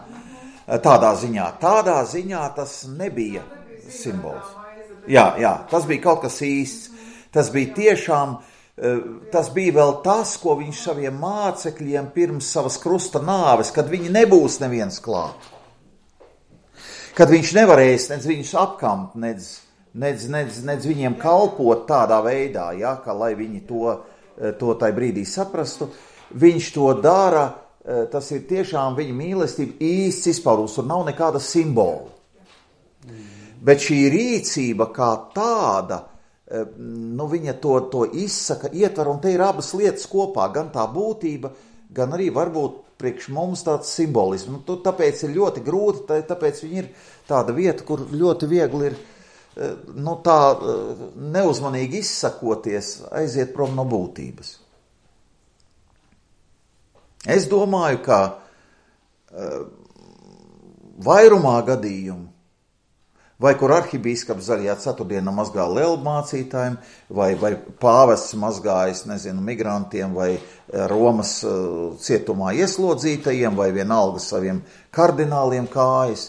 Tādā ziņā tas nebija simbols. Jā, tas bija kaut kas īsts. Tas bija tiešām, tas bija vēl tas, ko viņš saviem mācekļiem pirms savas krusta nāves, kad viņi nebūs neviens klāt. Kad viņš nevarēs nedz viņus apkamt, nedz viņiem kalpot tādā veidā, ja, ka lai viņi to tai brīdī saprastu, viņš to dara, tas ir tiešām viņa mīlestība īsts izpaudums, tur nav nekāda simbola. Bet šī rīcība kā tāda, viņa to izsaka, ietver, un te ir abas lietas kopā, gan tā būtība, gan arī varbūt priekš mums tāds simbolisms. Tāpēc ir ļoti grūti, tāpēc viņi ir tāda vieta, kur ļoti viegli ir tā neuzmanīgi izsakoties, aiziet prom no būtības. Es domāju, ka vairumā gadījumu, vai kur arhibīskaps zaļajā ceturtdienā mazgā lelu mācītājiem, vai pāvests mazgājas, migrantiem, vai Romas cietumā ieslodzītajiem, vai vienalga saviem kardināliem kājas,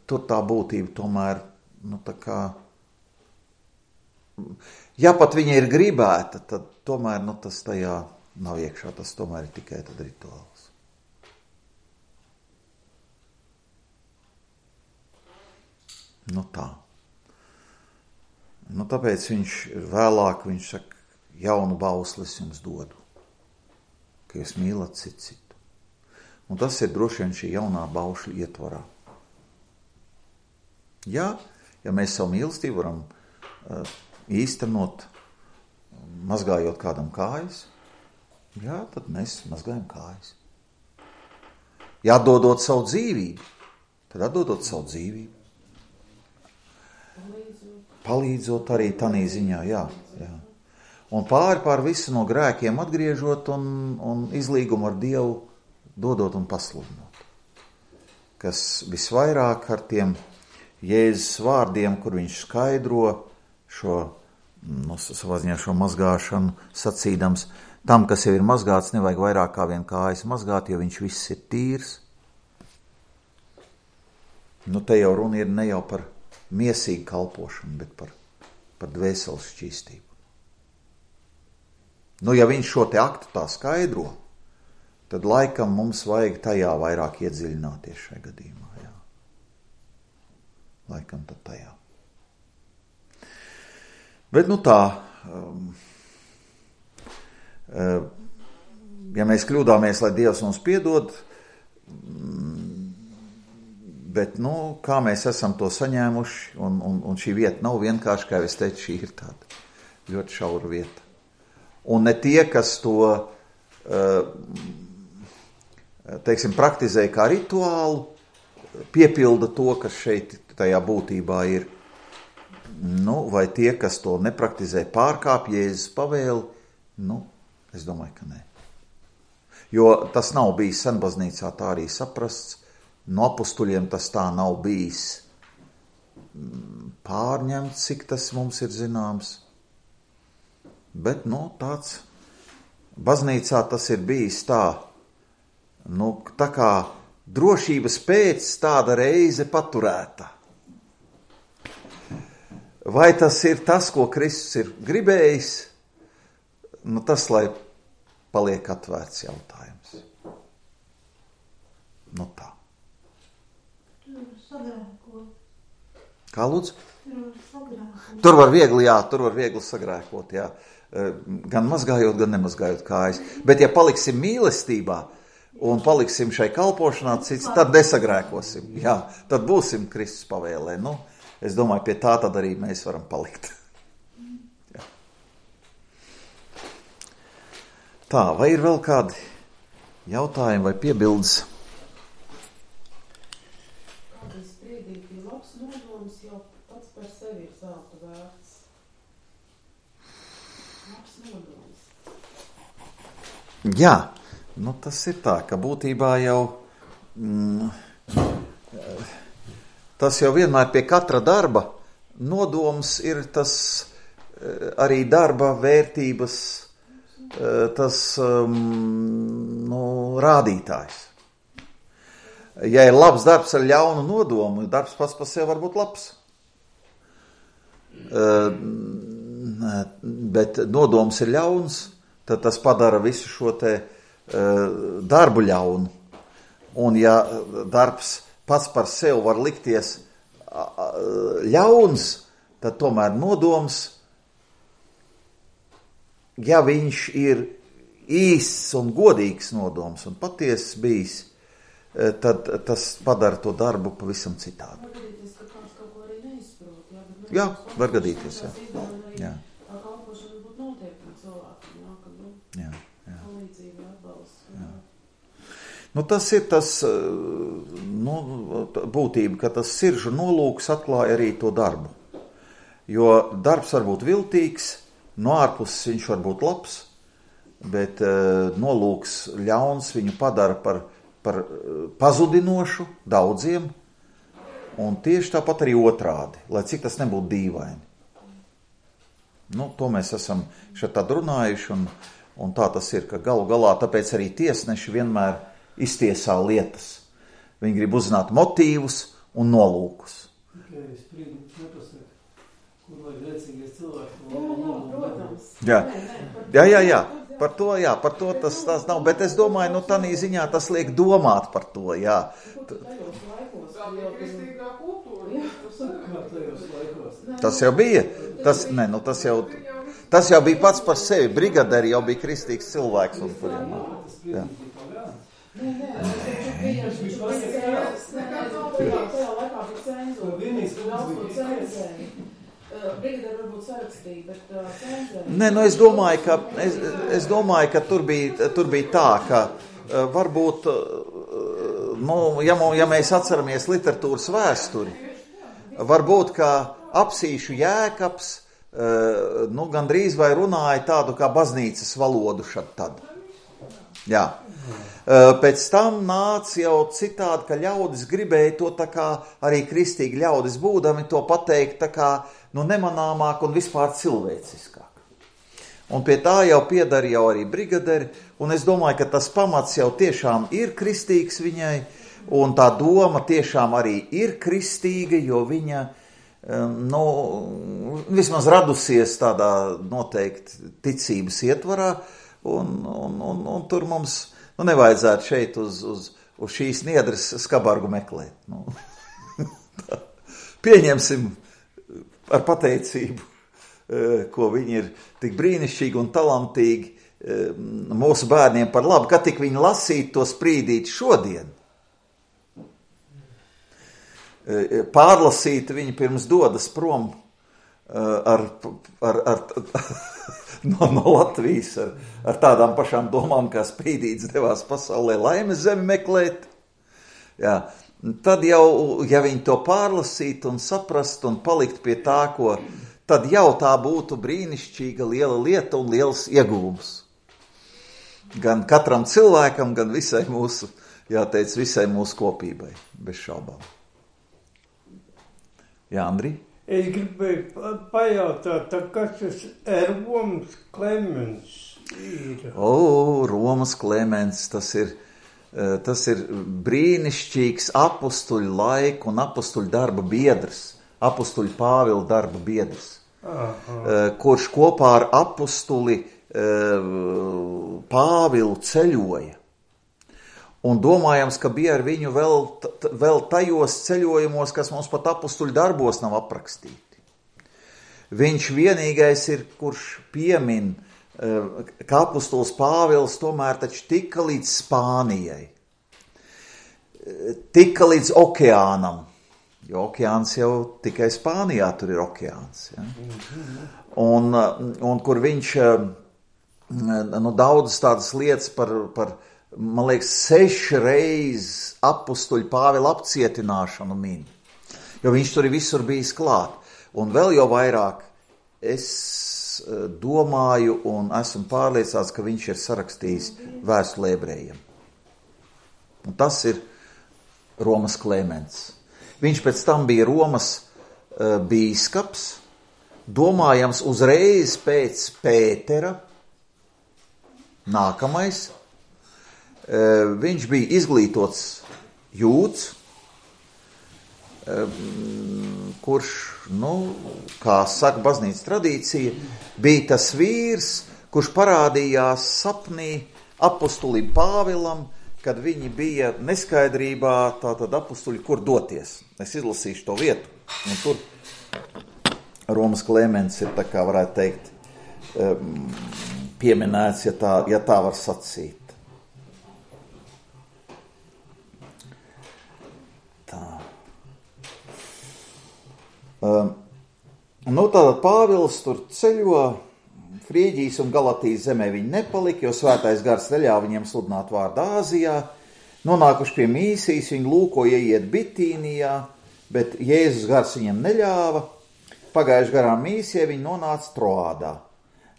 tur tā būtība tomēr, ja pat viņa ir gribēta, tad tomēr, tas tajā nav iekšā, tas tomēr ir tikai tad rituāls. Tā. Tāpēc vēlāk viņš saka, jaunu bausli es jums dodu, ka jūs mīlat citu. Un tas ir droši vien šī jaunā baušļa ietvarā. Ja mēs savu mīlestību varam īstenot, mazgājot kādam kājas, tad mēs mazgājam kājas. Ja atdodot savu dzīvību, tad atdodot savu dzīvību. Palīdzot arī tanī ziņā, jā. Un pār visu no grēkiem atgriežot un izlīgumu ar Dievu dodot un pasludinot. Kas visvairāk ar tiem Jēzus vārdiem, kur viņš skaidro šo, savā ziņā šo mazgāšanu, sacīdams, tam, kas jau ir mazgāts, nevajag vairāk kā vien kājas mazgāt, jo viņš viss ir tīrs. Te jau runa ir ne jau par miesīgu kalpošanu, bet par dvēseles šķīstību. Ja viņš šo te aktu tā skaidro, tad laikam mums vajag tajā vairāk iedziļināties šajā gadījumā. Jā. Laikam tad tajā. Bet tā, ja mēs kļūdāmies, lai Dievs mums piedod, bet, kā mēs esam to saņēmuši, un šī vieta nav vienkārši, kā es teicu, šī ir tāda ļoti šaura vieta. Un ne tie, kas to, teiksim, praktizē kā rituālu, piepilda to, kas šeit tajā būtībā ir. Vai tie, kas to nepraktizē, pārkāp Jēzus pavēli, es domāju, ka nē. Jo tas nav bijis senbaznīcā tā arī saprasts, no apustuļiem tas tā nav bijis pārņemts, cik tas mums ir zināms. Bet, tāds baznīcā tas ir bijis tā, tā kā drošības pēc tāda reize paturēta. Vai tas ir tas, ko Kristus ir gribējis? Tas, lai paliek atvērts jautājums. Tā. Kā lūdzu? Tur var viegli sagrēkot, jā. Gan mazgājot, gan nemazgājot kājas. Bet ja paliksim mīlestībā un paliksim šai kalpošanā cits, tad nesagrēkosim. Jā, tad būsim Kristus pavēlē. Es domāju, pie tā tad arī mēs varam palikt. Jā. Tā, vai ir vēl kādi jautājumi vai piebildes? Kādreiz spriedīgi bija labs nodoms, jau pats par sevi ir zelta vērts. Labs nodoms. Jā, tas ir tā, ka būtībā jau tas jau vienmēr pie katra darba nodoms ir tas arī darba vērtības tas rādītājs. Ja ir labs darbs ar ļaunu nodomu, darbs pats par sevi var būt labs. Bet nodoms ir ļauns, tad tas padara visu šo te darbu ļaunu. Un ja darbs pats par sevi var likties ļauns, tad tomēr nodoms, ja viņš ir īsts un godīgs nodoms un patiesas bijis, tad tas padara to darbu pavisam citādi. Var gadīties, ka kāds kaut ko arī neizprot. Jā, var gadīties, jā. Tā kalpošana būtu noteikti cilvēkiem, ka palīdzība atbalsts. Tas ir tas būtība, ka tas siržu nolūks atklāja arī to darbu. Jo darbs var būt viltīgs, no ārpuses viņš var būt labs, bet nolūks ļauns viņu padara par pazudinošu daudziem, un tieši tāpat arī otrādi, lai cik tas nebūtu dīvaini. To mēs esam šeit tad runājuši, un tā tas ir, ka galu galā tāpēc arī tiesneši vienmēr iztiesā lietas. Viņi grib uzzināt motīvus un nolūkus. Spriedums nepasaka, kur vajag rēcīgais cilvēks. Protams. Jā. Par to tas nav, bet es domāju, tādā ziņā tas liek domāt par to, jā. Tajos laikos. Tā bija kristīgā kultūra. Kā tajos laikos? Tas jau bija. Tas jau bija pats par sevi. Brigaderi jau bija kristīgs cilvēks. Jā. Tajā laikā bija cenzūra. Brigaderi varbūt sarakstīja, bet cenzēja. Nē, es domāju, ka tur bija tā, ka varbūt, ja mēs atceramies literatūras vēsturi, varbūt, ka Apsīšu Jēkabs gandrīz vai runāja tādu kā baznīcas valodu šad tad. Jā. Pēc tam nāca jau citādi, ka ļaudis gribēja to tā kā arī kristīgi ļaudis būdami to pateikt tā kā nemanāmāk un vispār cilvēciskāk. Un pie tā jau piedara jau arī brigaderi, un es domāju, ka tas pamats jau tiešām ir kristīgs viņai, un tā doma tiešām arī ir kristīga, jo viņa, vismaz radusies tādā noteikti ticības ietvarā, un tur mums nevajadzētu šeit uz šīs niedres skabargu meklēt. Pieņemsim ar pateicību, ko viņi ir tik brīnišķīgi un talantīgi mūsu bērniem par labu, kad tik viņi lasītu to sprīdīt šodien. Pārlasīt viņi pirms dodas prom no Latvijas ar tādām pašām domām, kā Sprīdīts devās pasaulē laimes zemi meklēt. Jā. Tad jau, ja viņi to pārlasītu un saprastu un palikt pie tā, tad jau tā būtu brīnišķīga liela lieta un liels ieguvums. Gan katram cilvēkam, gan visai mūsu, jāteic, visai mūsu kopībai, bez šaubām. Jā, Andri? Es gribēju pajautāt, kas tas Romas Klemens ir? Romas Klemens, tas ir brīnišķīgs apustuļu laiku un apustuļu darba biedrs, apustuļu Pāvila darba biedrs, kurš kopā ar apustuli Pāvilu ceļoja. Un domājams, ka bija ar viņu vēl tajos ceļojumos, kas mums pat apustuļu darbos nav aprakstīti. Viņš vienīgais ir, kurš piemin, ka apustulis Pāvils tomēr taču tika līdz Spānijai, tika līdz okeānam, jo okeāns jau tikai Spānijā tur ir okeāns. Ja? Un kur viņš daudzas tādas lietas par man liekas, 6 reizes apustuļu Pāvila apcietināšanu min, jo viņš tur visur bijis klāt. Un vēl jau vairāk es domāju un esmu pārliecināts, ka viņš ir sarakstījis vēstuli ebrejiem. Un tas ir Romas Klemens. Viņš pēc tam bija Romas bīskaps, domājams uzreiz pēc Pētera, nākamais. Viņš bija izglītots jūds, kurš, kā saka baznīcas tradīcija, bija tas vīrs, kurš parādījās sapnī apustulim Pāvilam, kad viņi bija neskaidrībā, tātad apustuļi, kur doties. Es izlasīšu to vietu, un tur Romas Klemens ir, tā kā varētu teikt, pieminēts, ja tā var sacīt. Tātad Pāvils tur ceļo, Frīģijas un Galatijas zemē viņi nepalika, jo svētais gars neļāva viņiem sludināt vārdu Āzijā. Nonākuši pie Mīsijas, viņi lūkoja iet Bitīnijā, bet Jēzus gars viņiem neļāva. Pagājuši garām Mīsijai, viņi nonāca Troādā.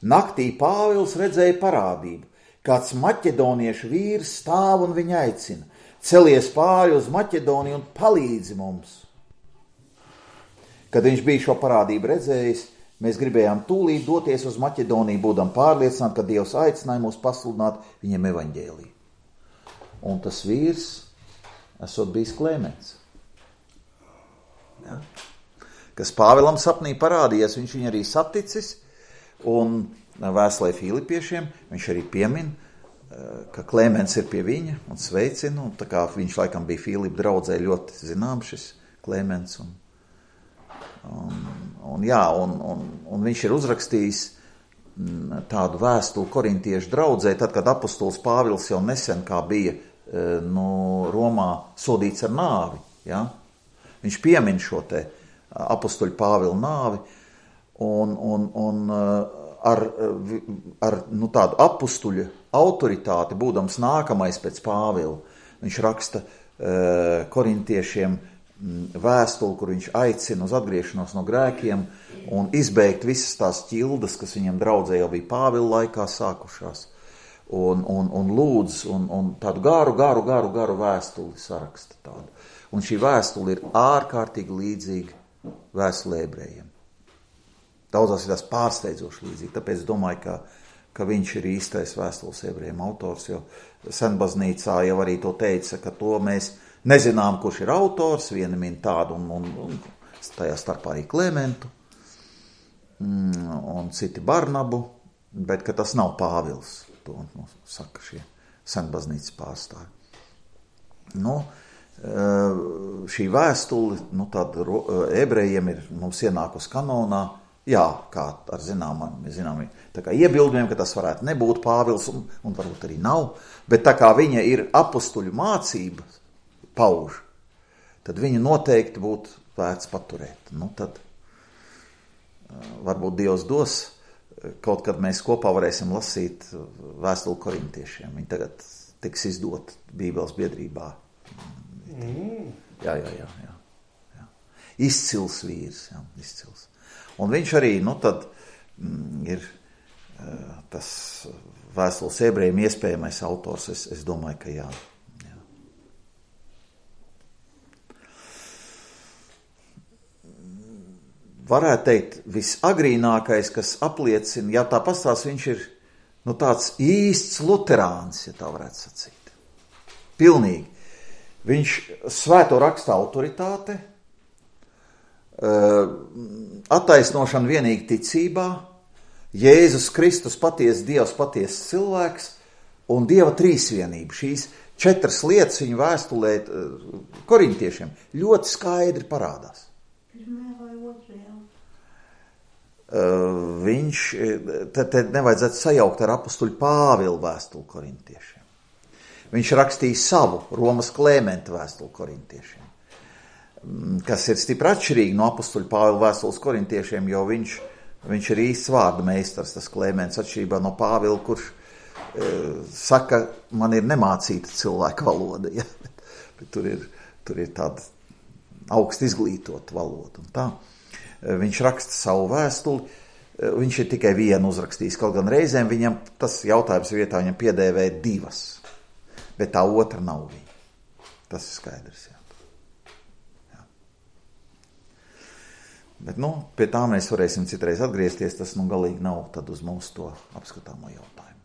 Naktī Pāvils redzēja parādību. Kāds maķedoniešu vīrs stāv un viņu aicina. Celies pāri uz Maķedoniju un palīdzi mums. Kad viņš bija šo parādību redzējis, mēs gribējām tūlīt doties uz Maķedoniju, būdam pārliecināti, ka Dievs aicināja mūs pasludināt viņam evaņģēliju. Un tas vīrs esot bijis Klemens. Ja? Kas Pāvilam sapnī parādījies, viņš viņu arī saticis, un vēstulē Filipiešiem viņš arī piemin, ka Klemens ir pie viņa un sveicina, un tā kā viņš laikam bija Filipa draudzē ļoti zināms šis Klemens, un viņš ir uzrakstījis tādu vēstuli korintiešu draudzē, tad, kad apustulis Pāvils jau nesen kā bija Romā sodīts ar nāvi. Ja? Viņš piemin šo te apustuļu Pāvila nāvi, un ar tādu apustuļu autoritāti, būdams nākamais pēc Pāvila, viņš raksta korintiešiem vēstuli, kur viņš aicina uz atgriešanos no grēkiem un izbeigt visas tās ķildas, kas viņam draudzē jau bija Pāvila laikā sākušās. un lūdz, un tādu garu vēstuli saraksta tādu. Un šī vēstule ir ārkārtīgi līdzīga vēstule ebrejiem. Daudzās ir tās pārsteidzoši līdzīgi, tāpēc domāju, ka viņš ir īstais vēstules ebrejiem autors, jo senbaznīcā jau arī to teica, ka to mēs nezinām, kurš ir autors, viena min tādu un tajā starpā arī Klementu un citi Barnabu, bet ka tas nav Pāvils, to saka šie senbaznīcas pārstāvi. Šī vēstule, tad ebrejiem ir mums ienākus kanonā, jā, kā ar zināmiem, tā kā iebildumiem, ka tas varētu nebūt Pāvils, un varbūt arī nav, bet tā kā viņa ir apustuļu mācības pauž, tad viņa noteikti būtu vērts paturēt. Tad varbūt Dievs dos, kaut kad mēs kopā varēsim lasīt vēstuli korintiešiem. Viņa tagad tiks izdot Bībeles biedrībā. Jā. Izcils vīrs, jā, izcils. Un viņš arī, tad ir tas vēstules ebrejiem iespējamais autors, es domāju, ka jā. Varētu teikt, visagrīnākais, kas apliecina, ja tā pastāst, viņš ir tāds īsts luterāns, ja tā varētu sacīt. Pilnīgi. Viņš svēto raksta autoritāte, attaisnošana vienīgi ticībā, Jēzus Kristus patiesa Dievs, patiesa cilvēks un Dieva trīsvienība. Šīs 4 lietas viņa vēstulē korintiešiem ļoti skaidri parādās. Viņš, te nevajadzētu sajaukt ar apustuļu Pāvilu vēstuli korintiešiem. Viņš rakstīja savu Romas Klementa vēstuli korintiešiem, kas ir stipri atšķirīgi no apustuļu Pāvila vēstules korintiešiem, jo viņš ir īsts vārda meistars, tas Klements, atšķirībā no Pāvila, kurš saka, man ir nemācīta cilvēka valoda, ja? bet tur ir tāda augst izglītota valoda un tā. Viņš raksta savu vēstuli, viņš ir tikai vienu uzrakstījis, kaut gan reizēm viņam tas jautājums vietā viņam piedēvē 2, bet tā otra nav viņa. Tas ir skaidrs, jā. Bet, pie tā mēs varēsim citreiz atgriezties, tas galīgi nav tad uz mūsu to apskatāmo jautājumu.